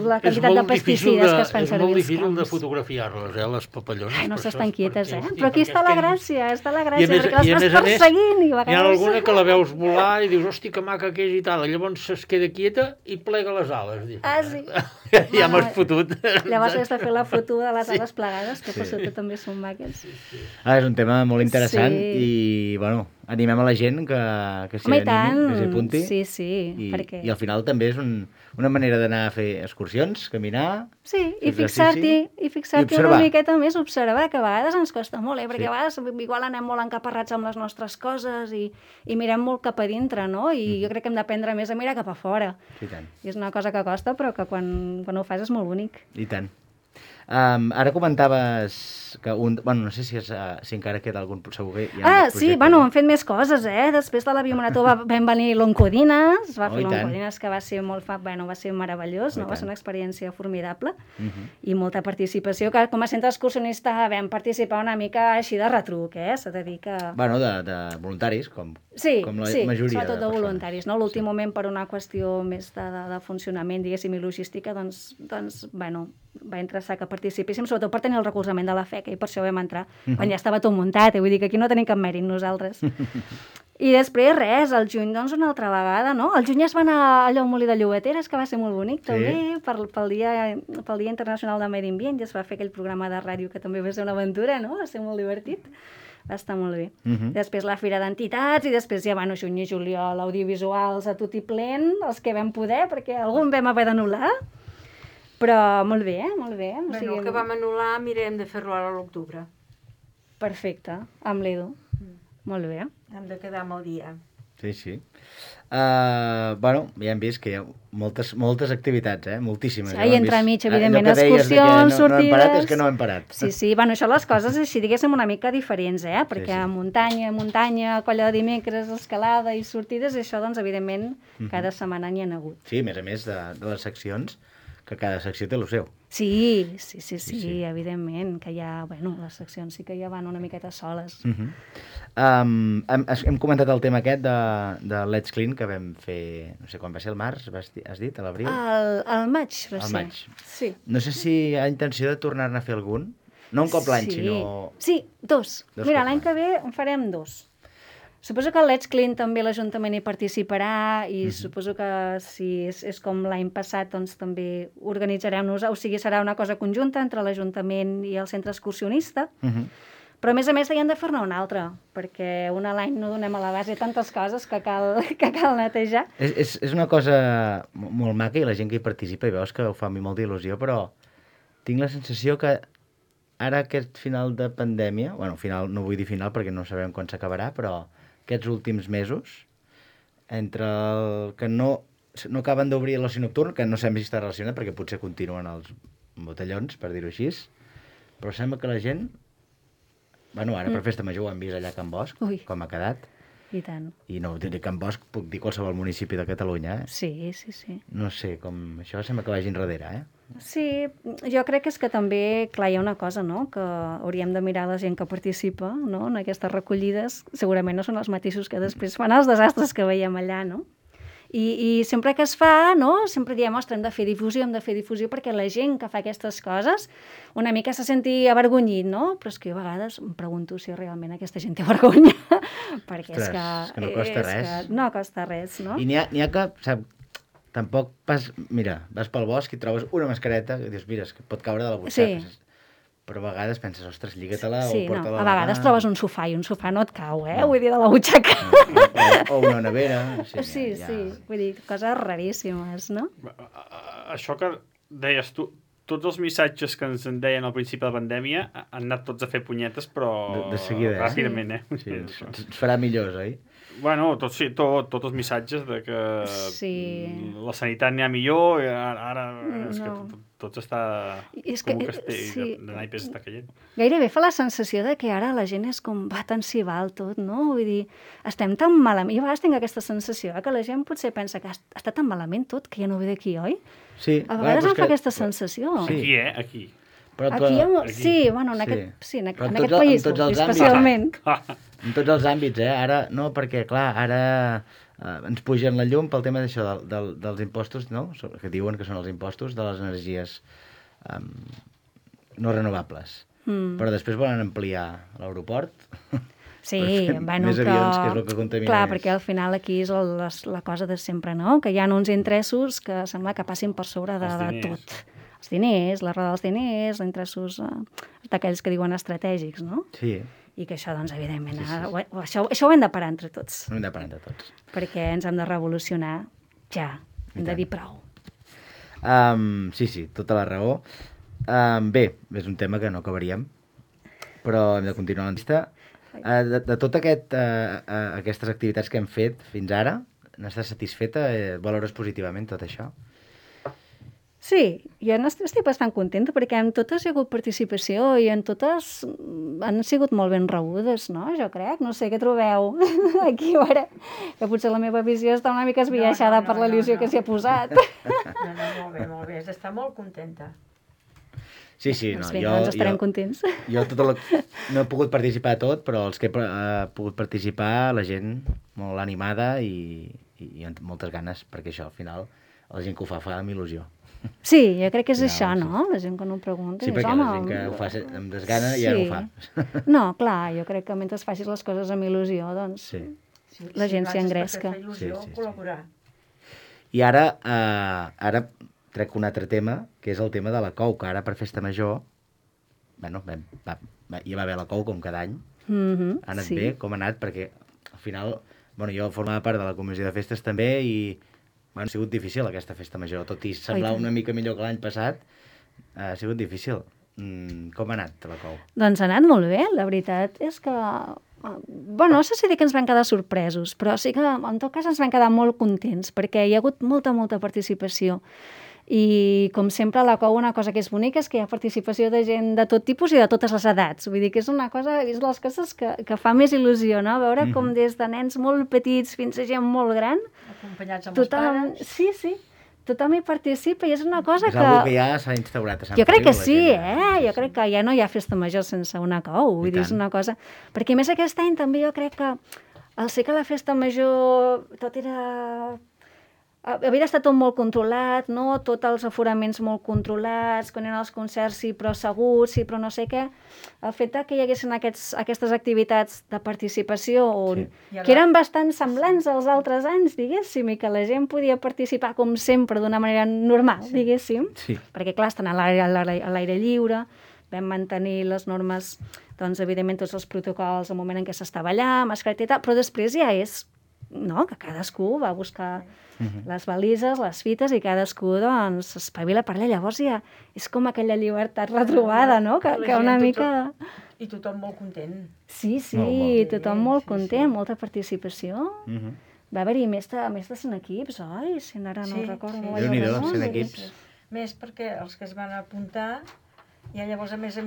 la quantitat de pesticides que es fan servir. És molt difícil de fotografiar-les, les papallones. Ai, no s'estan quietes, Però aquí està la gràcia, perquè les vas perseguint i a vegades... Hi ha alguna que la veus volar i dius, hosti, que maca que és i tal, llavors es queda quieta i plega les ales. Sí. Ja m'has fotut. Llavors has de fer la foto de les ales plegades, que per sota també són maques. És un tema molt interessant i, bueno, animem a la gent que s'hi animi, que s'hi apunti. Sí, perquè... I al final també és una manera d'anar a fer excursions, caminar... Sí, i fixar-t'hi una miqueta més, observar, que a vegades ens costa molt, perquè a vegades igual anem molt encaparrats amb les nostres coses i mirem molt cap a dintre, no? I jo crec que hem d'aprendre més a mirar cap a fora. I tant. I és una cosa que costa, però que quan ho fas és molt bonic. I tant. Ara comentaves que no sé si encara queda algun... Segur que hi ha sí, hem fet més coses, Després de la biomarató vam venir l'Oncodines, va fer l'Oncodines, que va ser molt va ser meravellós, no? Va ser una experiència formidable i molta participació, que com a centre excursionista vam participar una mica així de retruc, s'ha de dir que... de voluntaris, com la majoria sobretot de voluntaris, no? L'últim moment, per una qüestió més de funcionament, diguéssim, i logística, doncs, va interessar que participéssim, sobretot per tenir el recolzament de la FECA, i per això vam entrar, quan ja estava tot muntat, vull dir que aquí no tenim cap mèrit nosaltres. I després, al juny, doncs, una altra vegada, no? Al juny es va anar allò al Molí de Llobateres, que va ser molt bonic, també, pel Dia Internacional del Medi Ambient, i es va fer aquell programa de ràdio que també va ser una aventura, no? Va ser molt divertit. Va estar molt bé. Després la Fira d'Entitats i després ja juny i juliol, audiovisuals a tot i plen, els que vam poder, perquè algun vam haver d'anul·lar, però molt bé, molt bé. El que vam anul·lar mirem de fer-lo ara a l'octubre. Perfecte, amb l'Edu. Molt bé. Hem de quedar amb el dia. Sí. Ja hem vist que hi ha moltes activitats, moltíssimes. I entremig, evidentment, excursions, sortides... No hem parat, és que no hem parat. Sí, això les coses així, diguéssim, una mica diferents, perquè muntanya, colla de dimecres, escalada i sortides, això, doncs, evidentment, cada setmana n'hi ha hagut. Sí, a més de les seccions, que cada secció té el seu. Sí, evidentment, que ja, les seccions sí que ja van una miqueta soles. Hem comentat el tema aquest de Let's Clean, que vam fer, no sé quan va ser, el març, has dit, a l'abril? Al maig va ser. Al maig. Sí. No sé si hi ha intenció de tornar-ne a fer algun. No un cop l'any, sinó... Sí, dos. Mira, l'any que ve en farem dos. Suposo que el Let's Clean també l'Ajuntament hi participarà i suposo que si és com l'any passat, doncs també organitzarem-nos, o sigui, serà una cosa conjunta entre l'Ajuntament i el centre excursionista, però a més hi han de fer-ne una altra, perquè una a l'any no donem a l'abast, hi ha tantes coses que cal netejar. És una cosa molt maca i la gent que hi participa i veus que ho fa a mi molta il·lusió, però tinc la sensació que ara aquest final de pandèmia, final, no vull dir final perquè no sabem quan s'acabarà, però aquests últims mesos, entre el que no acaben d'obrir l'oci nocturn, que no sabem si està relacionat, perquè potser continuen els botellons, per dir-ho així, però sembla que la gent... Ara per Festa Major ho hem vist allà a Can Bosch, com ha quedat. I tant. I no diré Can Bosch, puc dir qualsevol municipi de Catalunya, Sí. No sé, com això sembla que vagi enrere, Sí, jo crec que és que també, clar, hi ha una cosa, no?, que hauríem de mirar la gent que participa, no?, en aquestes recollides. Segurament no són els mateixos que després fan els desastres que veiem allà, no? I sempre que es fa, no? Sempre diem, ostres, hem de fer difusió, perquè la gent que fa aquestes coses una mica se senti avergonyit, no? Però és que jo a vegades em pregunto si realment aquesta gent té vergonya, perquè és que no costa res. No costa res, no? I n'hi ha que, sap, tampoc vas pel bosc i trobes una mascareta i dius, mira, és que pot caure de la butxaca. Sí. Però a vegades penses, ostres, lliga-te-la o porta-la. A vegades trobes un sofà i un sofà no et cau, vull dir, de la butxaca. O una nevera. Sí, vull dir, coses raríssimes, no? Això que deies tu, tots els missatges que ens en deien al principi de la pandèmia han anat tots a fer punyetes, però de seguida, ràpidament, Sí, ens farà millors, oi? Bueno, tots els missatges de que la sanitat n'hi ha millor, ara és que tot està com un castell de naipes està caient. Gairebé fa la sensació de que ara la gent és com va tan cival tot, no? Vull dir, estem tan malament. Jo a vegades tinc aquesta sensació que la gent potser pensa que està tan malament tot que ja no ve d'aquí, oi? Sí. A vegades em fa aquesta sensació. Aquí, Aquí. Sí, bueno, en aquest país, especialment. En tots els àmbits, Ara, no, perquè, clar, ara ens pugen la llum pel tema d'això, dels impostos, no? Que diuen que són els impostos de les energies no renovables. Però després volen ampliar l'aeroport. Sí, més avions, que és el que contamina. Clar, perquè al final aquí és la cosa de sempre, no? Que hi ha uns interessos que sembla que passin per sobre de tot. Els diners, la roda dels diners, els interessos d'aquells que diuen estratègics, no? Sí. I que això, doncs, evidentment, això ho hem de parar entre tots. Ho hem de parar entre tots. Perquè ens hem de revolucionar ja. Hem de dir prou. Sí, tota la raó. Bé, és un tema que no acabaríem, però hem de continuar la llista. De totes aquestes activitats que hem fet fins ara, n'estàs satisfeta? Valores positivament tot això? Sí, jo estic bastant contenta perquè en totes hi ha hagut participació i en totes han sigut molt ben rebudes, no? Jo crec, no sé, què trobeu aquí ara? Que potser la meva visió està una mica esbiaixada per la il·lusió que s'hi ha posat. No, molt bé, has d'estar molt contenta. Sí, doncs estarem contents. Jo no he pogut participar a tot, però els que he pogut participar, la gent molt animada i amb moltes ganes, perquè això, al final, la gent que ho fa amb il·lusió. Sí, jo crec que és això, no? La gent que no ho pregunta. Sí, perquè la gent que ho fa amb desgana ja no ho fa. No, clar, jo crec que mentre facis les coses amb il·lusió, doncs la gent s'hi engresca. Sí. Col·laborar. I ara trec un altre tema, que és el tema de la COU, que ara per Festa Major, bueno, hi va haver la COU com cada any. Ha anat bé? Com ha anat? Perquè al final, jo formava part de la comissió de festes també i ha sigut difícil aquesta Festa Major, tot i semblar una mica millor que l'any passat, ha sigut difícil. Com ha anat la COU? Doncs ha anat molt bé, la veritat és que... no sé si dir que ens vam quedar sorpresos, però sí que en tot cas ens vam quedar molt contents, perquè hi ha hagut molta participació. I, com sempre, a la COU una cosa que és bonica és que hi ha participació de gent de tot tipus i de totes les edats. Vull dir que és una cosa, és de les coses que fa més il·lusió, no? Veure com des de nens molt petits fins a gent molt gran... Acompanyats amb els pares. Sí, tothom hi participa i és una cosa que... És una que ja s'ha instaurat a Sant Feliu. Jo crec que sí, Jo crec que ja no hi ha Festa Major sense una COU. Vull dir, és una cosa... Perquè, més aquest any també jo crec que al ser que la Festa Major tot era... Havia estat tot molt controlat, no? Tots els aforaments molt controlats, quan eren els concerts sí, però segurs, sí, però no sé què. El fet que hi haguessin aquestes activitats de participació que eren bastant semblants als altres anys, diguéssim, i que la gent podia participar com sempre d'una manera normal, diguéssim. Sí. Perquè, clar, estan a l'aire lliure, vam mantenir les normes, doncs, evidentment, tots els protocols al moment en què s'estava allà, mascareta i tal, però després ja és, no?, que cadascú va buscar les balises, les fites, i cadascú, doncs, s'espavila per allà. Llavors ja és com aquella llibertat retrobada, no?, que una mica... I tothom molt content. Sí, tothom molt content, molta participació. Va haver-hi més de 100 equips, oi? Si ara no recordo. Déu-n'hi-do, 100 equips. Més perquè els que es van apuntar, ja llavors, a més,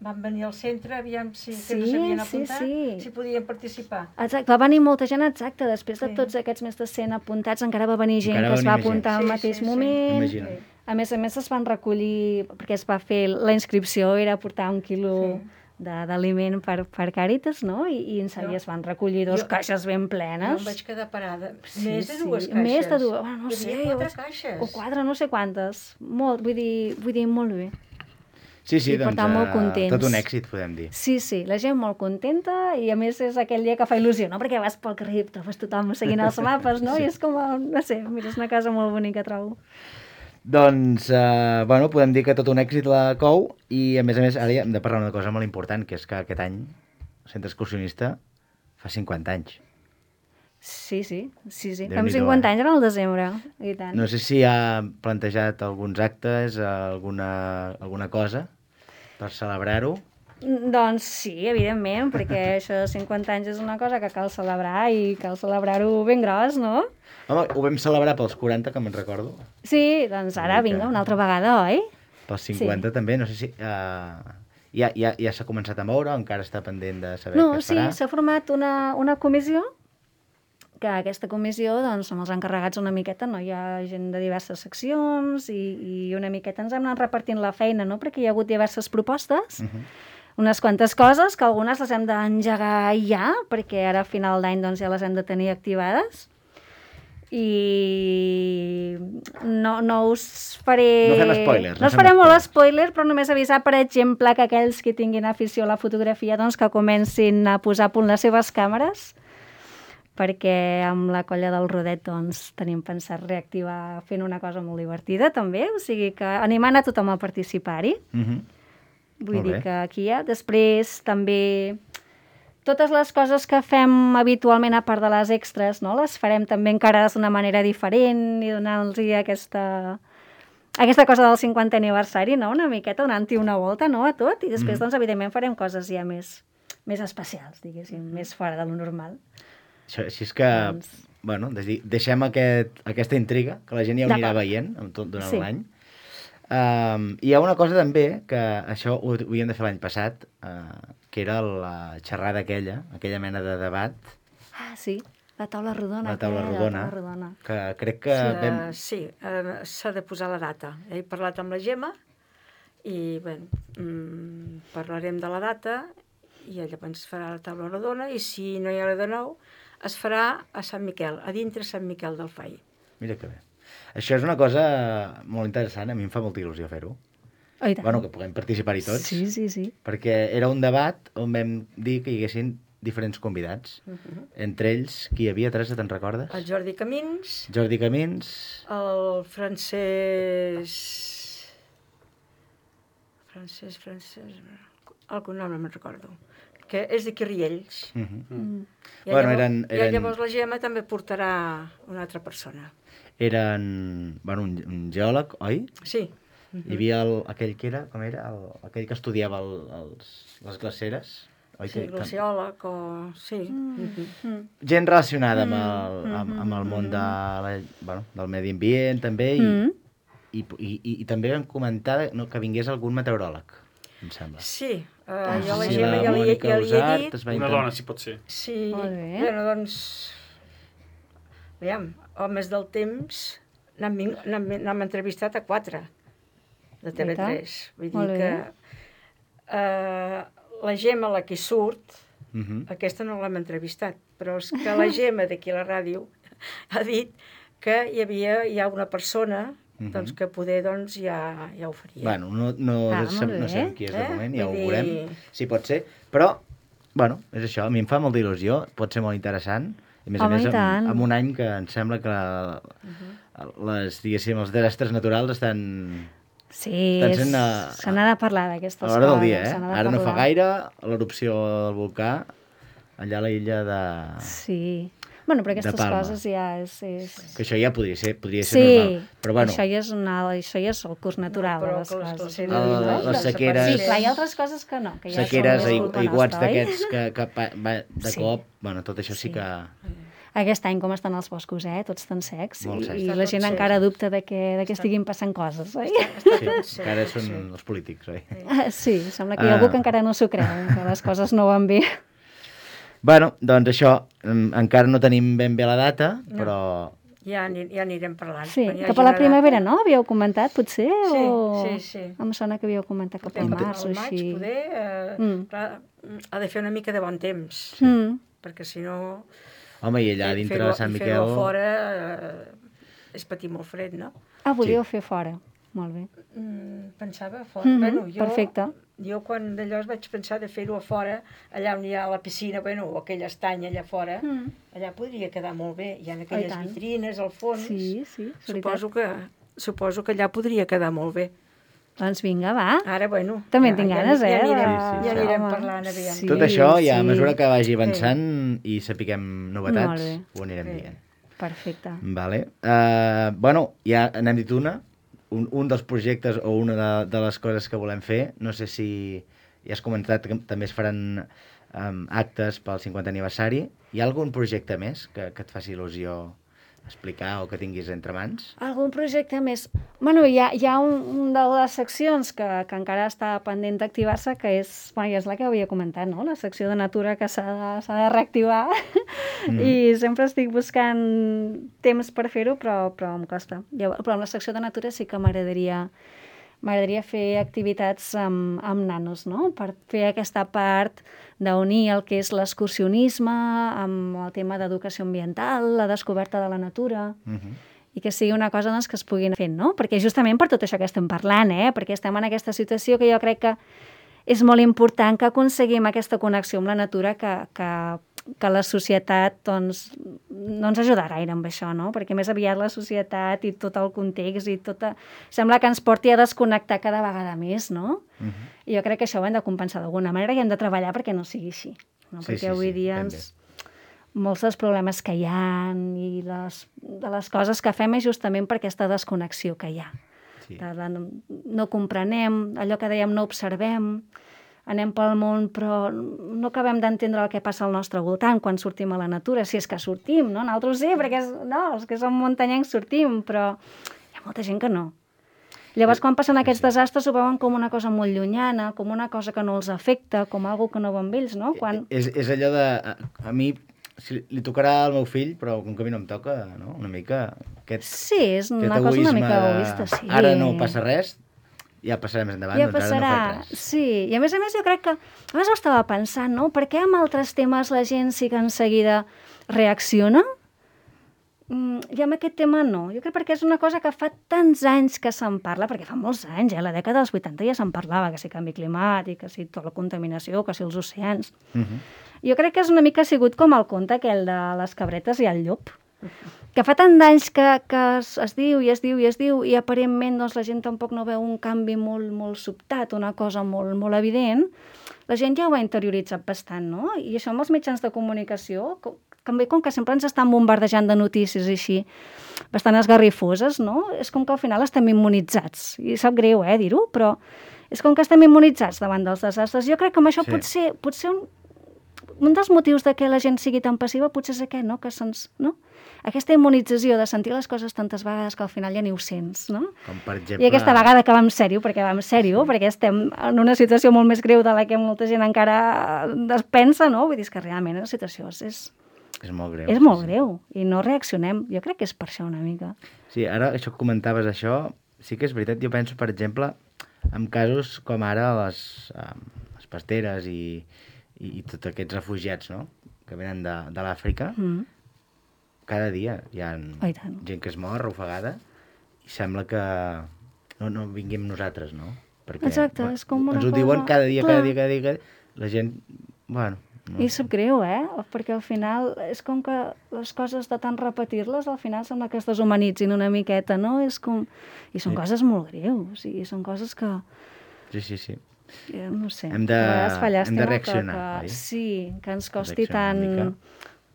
van venir al centre, aviam si no s'havien apuntat, si podien participar. Exacte, va venir molta gent, exacte, després de tots aquests més de 100 apuntats, encara va venir gent que es va apuntar al mateix moment. A més es van recollir, perquè es va fer, la inscripció era portar 1 quilo d'aliment per Càritas, no? I es van recollir 2 caixes ben plenes. Jo em vaig quedar parada. Sí, Més de 2 caixes. Més de 2, no sé. 4 caixes. O 4, no sé quantes. Molt, vull dir molt bé. Sí, I per tant, molt contents. Tot un èxit, podem dir. Sí, la gent molt contenta i a més és aquell dia que fa il·lusió, no? Perquè vas pel carrer i trobes tothom seguint els mapes, no? I és com, no sé, mira, és una casa molt bonica, trobo. Doncs, podem dir que tot un èxit la COU i, a més, ara ja hem de parlar d'una cosa molt important, que és que aquest any el Centre Excursionista fa 50 anys. Sí. Fem 50 anys en el desembre, i tant. No sé si ha plantejat alguns actes, alguna cosa per celebrar-ho. Doncs sí, evidentment, perquè això de 50 anys és una cosa que cal celebrar i cal celebrar-ho ben gros, no? Home, ho vam celebrar pels 40, que me'n recordo. Sí, doncs ara vinga, una altra vegada, oi? Pels 50 també, no sé si... Ja s'ha començat a moure o encara està pendent de saber què es farà? No, sí, s'ha format una comissió, que aquesta comissió doncs, som els encarregats una miqueta, no? Hi ha gent de diverses seccions i una miqueta ens hem anat repartint la feina, no? Perquè hi ha hagut diverses propostes, unes quantes coses, que algunes les hem d'engegar ja, perquè ara a final d'any doncs, ja les hem de tenir activades. I no us faré... No fem spoilers. No us faré molt spoiler, però només avisar, per exemple, que aquells que tinguin afició a la fotografia doncs, que comencin a posar a punt les seves càmeres, perquè amb la colla del Rodet doncs, tenim pensat reactivar fent una cosa molt divertida també, o sigui que animant a tothom a participar-hi. Vull dir que aquí hi ha. Després també totes les coses que fem habitualment a part de les extras, no? Les farem també encara d'una manera diferent i donant-los aquesta cosa del 50è aniversari, no? Una miqueta donant-hi una volta, no? A tot, i després doncs evidentment farem coses ja més especials, diguéssim, més fora de lo normal. Així és que, deixem aquesta intriga, que la gent ja ho anirà veient durant l'any. Hi ha una cosa també, que això ho havíem de fer l'any passat, que era la xerrada aquella mena de debat. Ah, sí, la taula rodona. La taula rodona, que crec que... Sí, s'ha de posar la data. He parlat amb la Gemma i parlarem de la data i llavors es farà la taula rodona i si no hi ha res de nou es farà a Sant Miquel, a dintre Sant Miquel del Fai. Mira que bé. Això és una cosa molt interessant, a mi em fa molta il·lusió fer-ho. Que puguem participar-hi tots. Sí. Perquè era un debat on vam dir que hi haguessin diferents convidats. Entre ells, qui hi havia, Teresa, te'n recordes? El Jordi Camins. El Francesc... El cognom no me'n recordo. Que és d'aquí Riells. I llavors la Gemma també portarà una altra persona. Eren un geòleg, oi? Sí. Hi havia aquell que era, com era? Aquell que estudiava les glaceres. Sí, glaciòleg o... Sí. Gent relacionada amb el món del medi ambient, també, i també vam comentar que vingués algun meteoròleg, em sembla. Sí, jo la Gemma ja li he dit. Una dona, si pot ser. Sí, doncs... Aviam, al mes del temps n'hem entrevistat a 4 de TV3. Vull dir que la Gemma, la que surt, aquesta no l'hem entrevistat, però és que la Gemma d'aquí a la ràdio ha dit que hi ha una persona doncs, que poder ja ho faria. Bueno, no sabem qui és de moment, ja ho veurem, si pot ser, però, és això, a mi em fa molta il·lusió, pot ser molt interessant, i a més en un any que em sembla que els desastres naturals estan... Sí, se n'ha de parlar d'aquestes coses. A l'hora del dia, Ara no fa gaire, l'erupció del volcà, allà a la illa de... Sí, però aquestes coses ja és... Que això ja podria ser normal. Però això ja és el curs natural de les coses. Les sequeres... Sí, clar, hi ha altres coses que no. Sequeres, aiguats d'aquests que de cop... Tot això sí que... Aquest any com estan els boscos, tots tan secs, i la gent encara dubta de que estiguin passant coses, oi? Sí, encara són els polítics, oi? Sí, sembla que hi ha algú que encara no s'ho creu, que les coses no van bé. Doncs això, encara no tenim ben bé la data, però Ja anirem parlant. Sí, cap a la primavera, no? Havíeu comentat, potser? Sí. Em sona que havíeu comentat cap al març o així. Al maig, poder, ha de fer una mica de bon temps, perquè si no... Home, i allà dintre de Sant Miquel... Fer-ho fora és patir molt fred, no? Volíeu fer fora, molt bé. Pensava fora. Perfecte. Jo quan d'allò vaig pensar de fer-ho a fora, allà on hi ha la piscina, o aquell estany allà fora, allà podria quedar molt bé. Hi ha aquelles vitrines al fons. Sí, suposo que allà podria quedar molt bé. Doncs vinga, va. Ara, també en tinc ganes, ja anirem parlant, aviam. Tot això, ja a mesura que vagi avançant i sapiguem novetats, ho anirem dient. Perfecte. Vale. Ja n'hem dit un dels projectes o una de les coses que volem fer. No sé si ja has comentat que també es faran actes pel 50 aniversari. Hi ha algun projecte més que et faci il·lusió explicar o que tinguis entre mans? Algun projecte més? Bueno, hi ha un de les seccions que encara està pendent d'activar-se, que és la que havia comentat, no? La secció de natura que s'ha de reactivar i sempre estic buscant temps per fer-ho, però em costa. Però amb la secció de natura sí que m'agradaria fer activitats amb nanos, no? Per fer aquesta part d'unir el que és l'excursionisme amb el tema d'educació ambiental, la descoberta de la natura, i que sigui una cosa que es pugui anar fent, no? Perquè justament per tot això que estem parlant, perquè estem en aquesta situació que jo crec que és molt important que aconseguim aquesta connexió amb la natura que la societat no ens ajuda gaire amb això, no? Perquè més aviat la societat i tot el context i sembla que ens porti a desconnectar cada vegada més, no? I jo crec que això ho hem de compensar d'alguna manera i hem de treballar perquè no sigui així, no? Perquè avui dia molts dels problemes que hi ha i de les coses que fem és justament per aquesta desconnexió que hi ha. No comprenem, allò que dèiem no observem, anem pel món, però no acabem d'entendre el que passa al nostre voltant quan sortim a la natura, si és que sortim, no? Nosaltres sí, perquè els que som muntanyencs sortim, però hi ha molta gent que no. Llavors, quan passen aquests desastres, ho veuen com una cosa molt llunyana, com una cosa que no els afecta, com algo que no va amb ells, no? És allò de... A mi li tocarà al meu fill, però com que a mi no em toca, no? Una mica... Sí, és una cosa una mica egoista, sí. Ara no passa res, ja passarà més endavant, doncs ara no faig res. Sí, i a més jo crec que... A més ho estava pensant, no? Per què amb altres temes la gent sí que en seguida reacciona? I amb aquest tema no. Jo crec perquè és una cosa que fa tants anys que se'n parla, perquè fa molts anys, a la dècada dels 80 ja se'n parlava, que si canvi climàtic, que si tota la contaminació, que si els oceans. Jo crec que és una mica sigut com el conte aquell de les cabretes i el llop, que fa tant d'anys que es diu i aparentment doncs, la gent tampoc no veu un canvi molt sobtat, una cosa molt evident. La gent ja ho ha interioritzat bastant, no? I això amb els mitjans de comunicació, també com que sempre ens estan bombardejant de notícies així, bastant esgarrifoses, no? És com que al final estem immunitzats. I sap greu, dir-ho, però és com que estem immunitzats davant dels desastres. Jo crec que amb això potser un dels motius de que la gent sigui tan passiva potser és aquest, no? Que no? Aquesta immunització de sentir les coses tantes vegades que al final ja ni ho sents, no? Com per exemple... I aquesta vegada que va en sèrio, perquè estem en una situació molt més greu de la que molta gent encara es pensa, no? Vull dir que realment la situació és molt greu. És molt greu i no reaccionem. Jo crec que és per això una mica. Sí, ara això que comentaves això, sí que és veritat. Jo penso, per exemple, en casos com ara les pasteres i tots aquests refugiats, no?, que venen de l'Àfrica, cada dia hi ha gent que es mor ofegada i sembla que no vinguem nosaltres, no? Perquè, exacte, és com una cosa... Ens ho diuen cada dia, la gent... Bueno, no. I sap greu, perquè al final és com que les coses de tant repetir-les al final sembla que es deshumanitzin una miqueta, no? És com... I són coses molt greus, i són coses que... Sí. No sé, hem de reaccionar, oi? Sí, que ens costi tant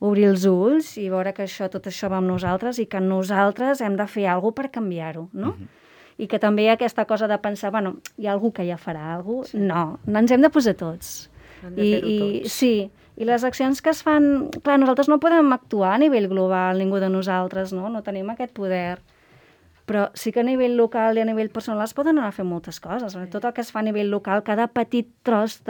obrir els ulls i veure que tot això va amb nosaltres i que nosaltres hem de fer alguna cosa per canviar-ho, no? I que també hi ha aquesta cosa de pensar, hi ha algú que ja farà alguna cosa. No ens hem de posar tots. Sí, i les accions que es fan... Clar, nosaltres no podem actuar a nivell global, ningú de nosaltres, no? No tenim aquest poder. Però sí que a nivell local i a nivell personal es poden anar a fer moltes coses. Tot el que es fa a nivell local, cada petit tros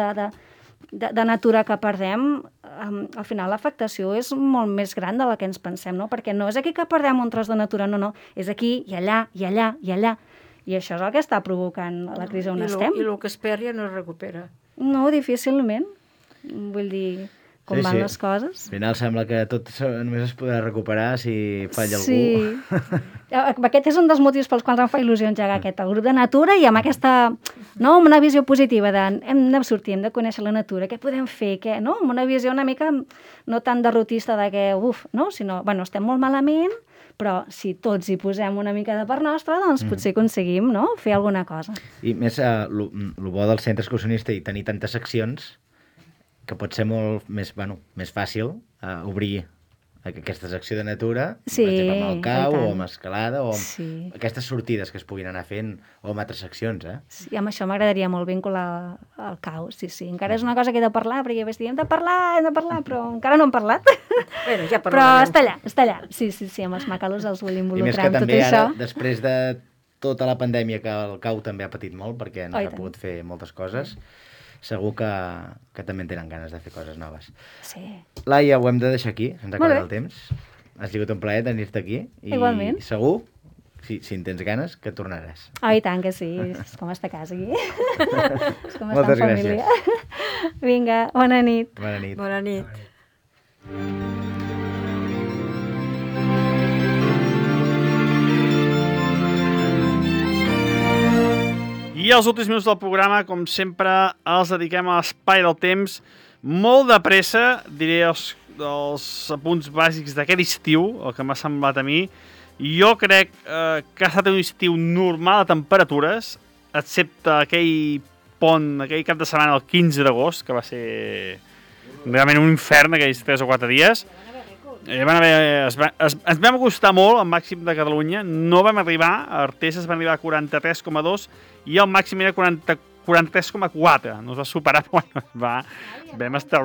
de natura que perdem, al final l'afectació és molt més gran de la que ens pensem, no? Perquè no és aquí que perdem un tros de natura, no, és aquí i allà, i allà, i allà. I això és el que està provocant la crisi on estem. I el que es perd ja no es recupera. No, difícilment. Vull dir, com van les coses. Al final sembla que tot només es podrà recuperar si falla algú. Sí. Aquest és un dels motius pels quals em fa il·lusió engegar el grup de natura i amb aquesta, no, amb una visió positiva de hem de sortir, hem de conèixer la natura, què podem fer, què, no? Amb una visió una mica no tan derrotista de que, no? Sinó, bueno, estem molt malament, però si tots hi posem una mica de part nostra, doncs potser aconseguim, no?, fer alguna cosa. I més, el bo del centre excursionista i tenir tantes seccions que pot ser molt més fàcil obrir aquesta secció de natura, per exemple, amb el cau o amb escalada o amb aquestes sortides que es puguin anar fent o amb altres seccions, Sí, amb això m'agradaria molt vincular el cau, sí. Encara és una cosa que he de parlar, perquè ja vaig dir, hem de parlar, però encara no hem parlat. Bueno, ja però està allà. Sí, amb els macalos els vull involucrar en tot això. I més que també ara, després de tota la pandèmia, que el cau també ha patit molt, perquè no s'ha pogut fer moltes coses, segur que també en tenen ganes de fer coses noves. Sí. Laia, ho hem de deixar aquí, se'ns ha acabat el temps. Ha sigut un plaer tenir-te aquí. Igualment. I segur, si en tens ganes, que tornaràs. I tant que sí, és com estar a casa aquí. És com estar Moltes en família. gràcies. Vinga, bona nit. Bona nit. Bona nit. I els últims minuts del programa, com sempre, els dediquem a l'espai del temps. Molt de pressa, diré els apunts bàsics d'aquest estiu, el que m'ha semblat a mi. Jo crec que ha estat un estiu normal de temperatures, excepte aquell cap de setmana, el 15 d'agost, que va ser realment un infern aquells 3 o 4 dies. Ens vam acostar molt al màxim de Catalunya, no vam arribar, a Artés es van arribar a 43,2 i el màxim era 43,4, no es va superar, però vam estar...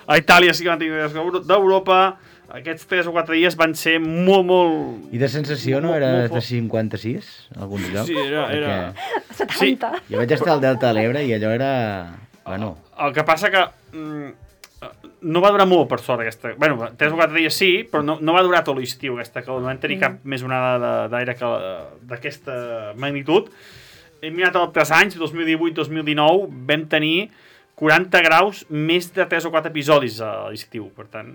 A Itàlia sí que van tenir d'Europa, aquests 3 o 4 dies van ser molt... I de sensació no era de 56, en alguns llocs? Sí, era... 70. Jo vaig estar al Delta de l'Ebre i allò era... Bueno... El que passa que... no va durar molt, per sort, aquesta... Bueno, 3 o 4 dies sí, però no va durar tot l'estiu, aquesta calor. No vam tenir cap més onada d'aire d'aquesta magnitud. Hem mirat altres anys, 2018-2019, vam tenir 40 graus més de 3 o 4 episodis a l'estiu. Per tant,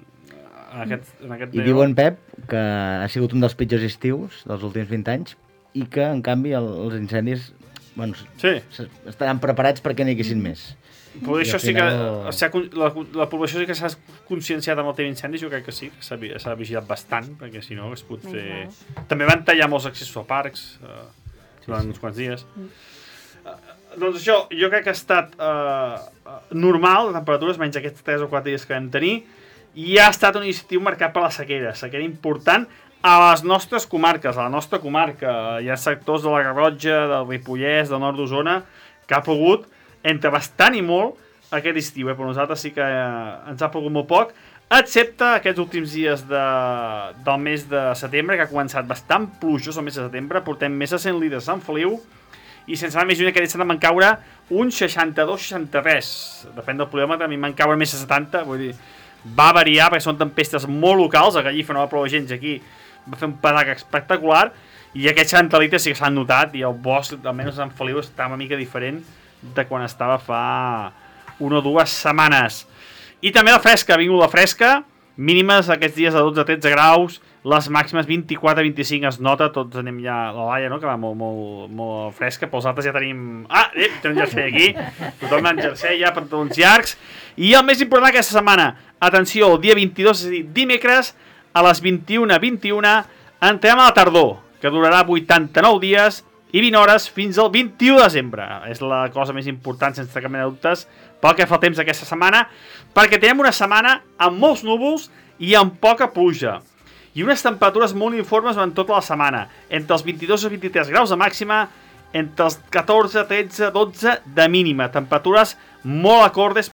en aquest I diu en Pep que ha sigut un dels pitjors estius dels últims 20 anys i que, en canvi, els incendis estaran preparats perquè n'hi haguessin més. Però això sí que la població sí que s'ha conscienciat amb el tema d'incendis, jo crec que sí, que s'ha vigilat bastant, perquè si no es pot fer... També van tallar molts accessos a parcs durant uns quants dies. Doncs això, jo crec que ha estat normal, de temperatures, menys aquests 3 o 4 dies que vam tenir, i ha estat un estiu marcat per la sequera important a les nostres comarques, a la nostra comarca. Hi ha sectors de la Garrotxa, del Ripollès, del nord d'Osona, que ha plogut entre bastant i molt aquest estiu, però nosaltres sí que ens ha plogut molt poc, excepte aquests últims dies del mes de setembre, que ha començat bastant plujós el mes de setembre, portem més de 100 litres a Sant Feliu, i sense anar més lluny aquest estat en van caure uns 62-63, depèn del problema, a mi em van caure més de 70, vull dir, va variar perquè són tempestes molt locals, a Gallifa no va ploure gens, aquí va fer un pedac espectacular, i aquests 70 litres sí que s'han notat, i el bosc, almenys a Sant Feliu, està una mica diferent de quan estava fa 1 o 2 setmanes. I també la fresca, ha vingut la fresca, mínimes aquests dies de 12-13 graus, les màximes 24-25 es nota, tots anem ja a la Laia, no?, que va molt fresca, però els altres ja tenim... Tenim jersei aquí, tothom amb jersei ja, pantalons llargs, i el més important aquesta setmana, atenció, el dia 22, és a dir, dimecres, a les 21:21, entrem a la tardor, que durarà 89 dies, i 20 hores fins al 21 de desembre. És la cosa més important, sense cap mena de dubtes, pel que fa el temps d'aquesta setmana, perquè tenim una setmana amb molts núvols i amb poca pluja. I unes temperatures molt uniformes durant tota la setmana, entre els 22 i 23 graus de màxima, entre els 14, 13, 12 de mínima. Temperatures molt acordes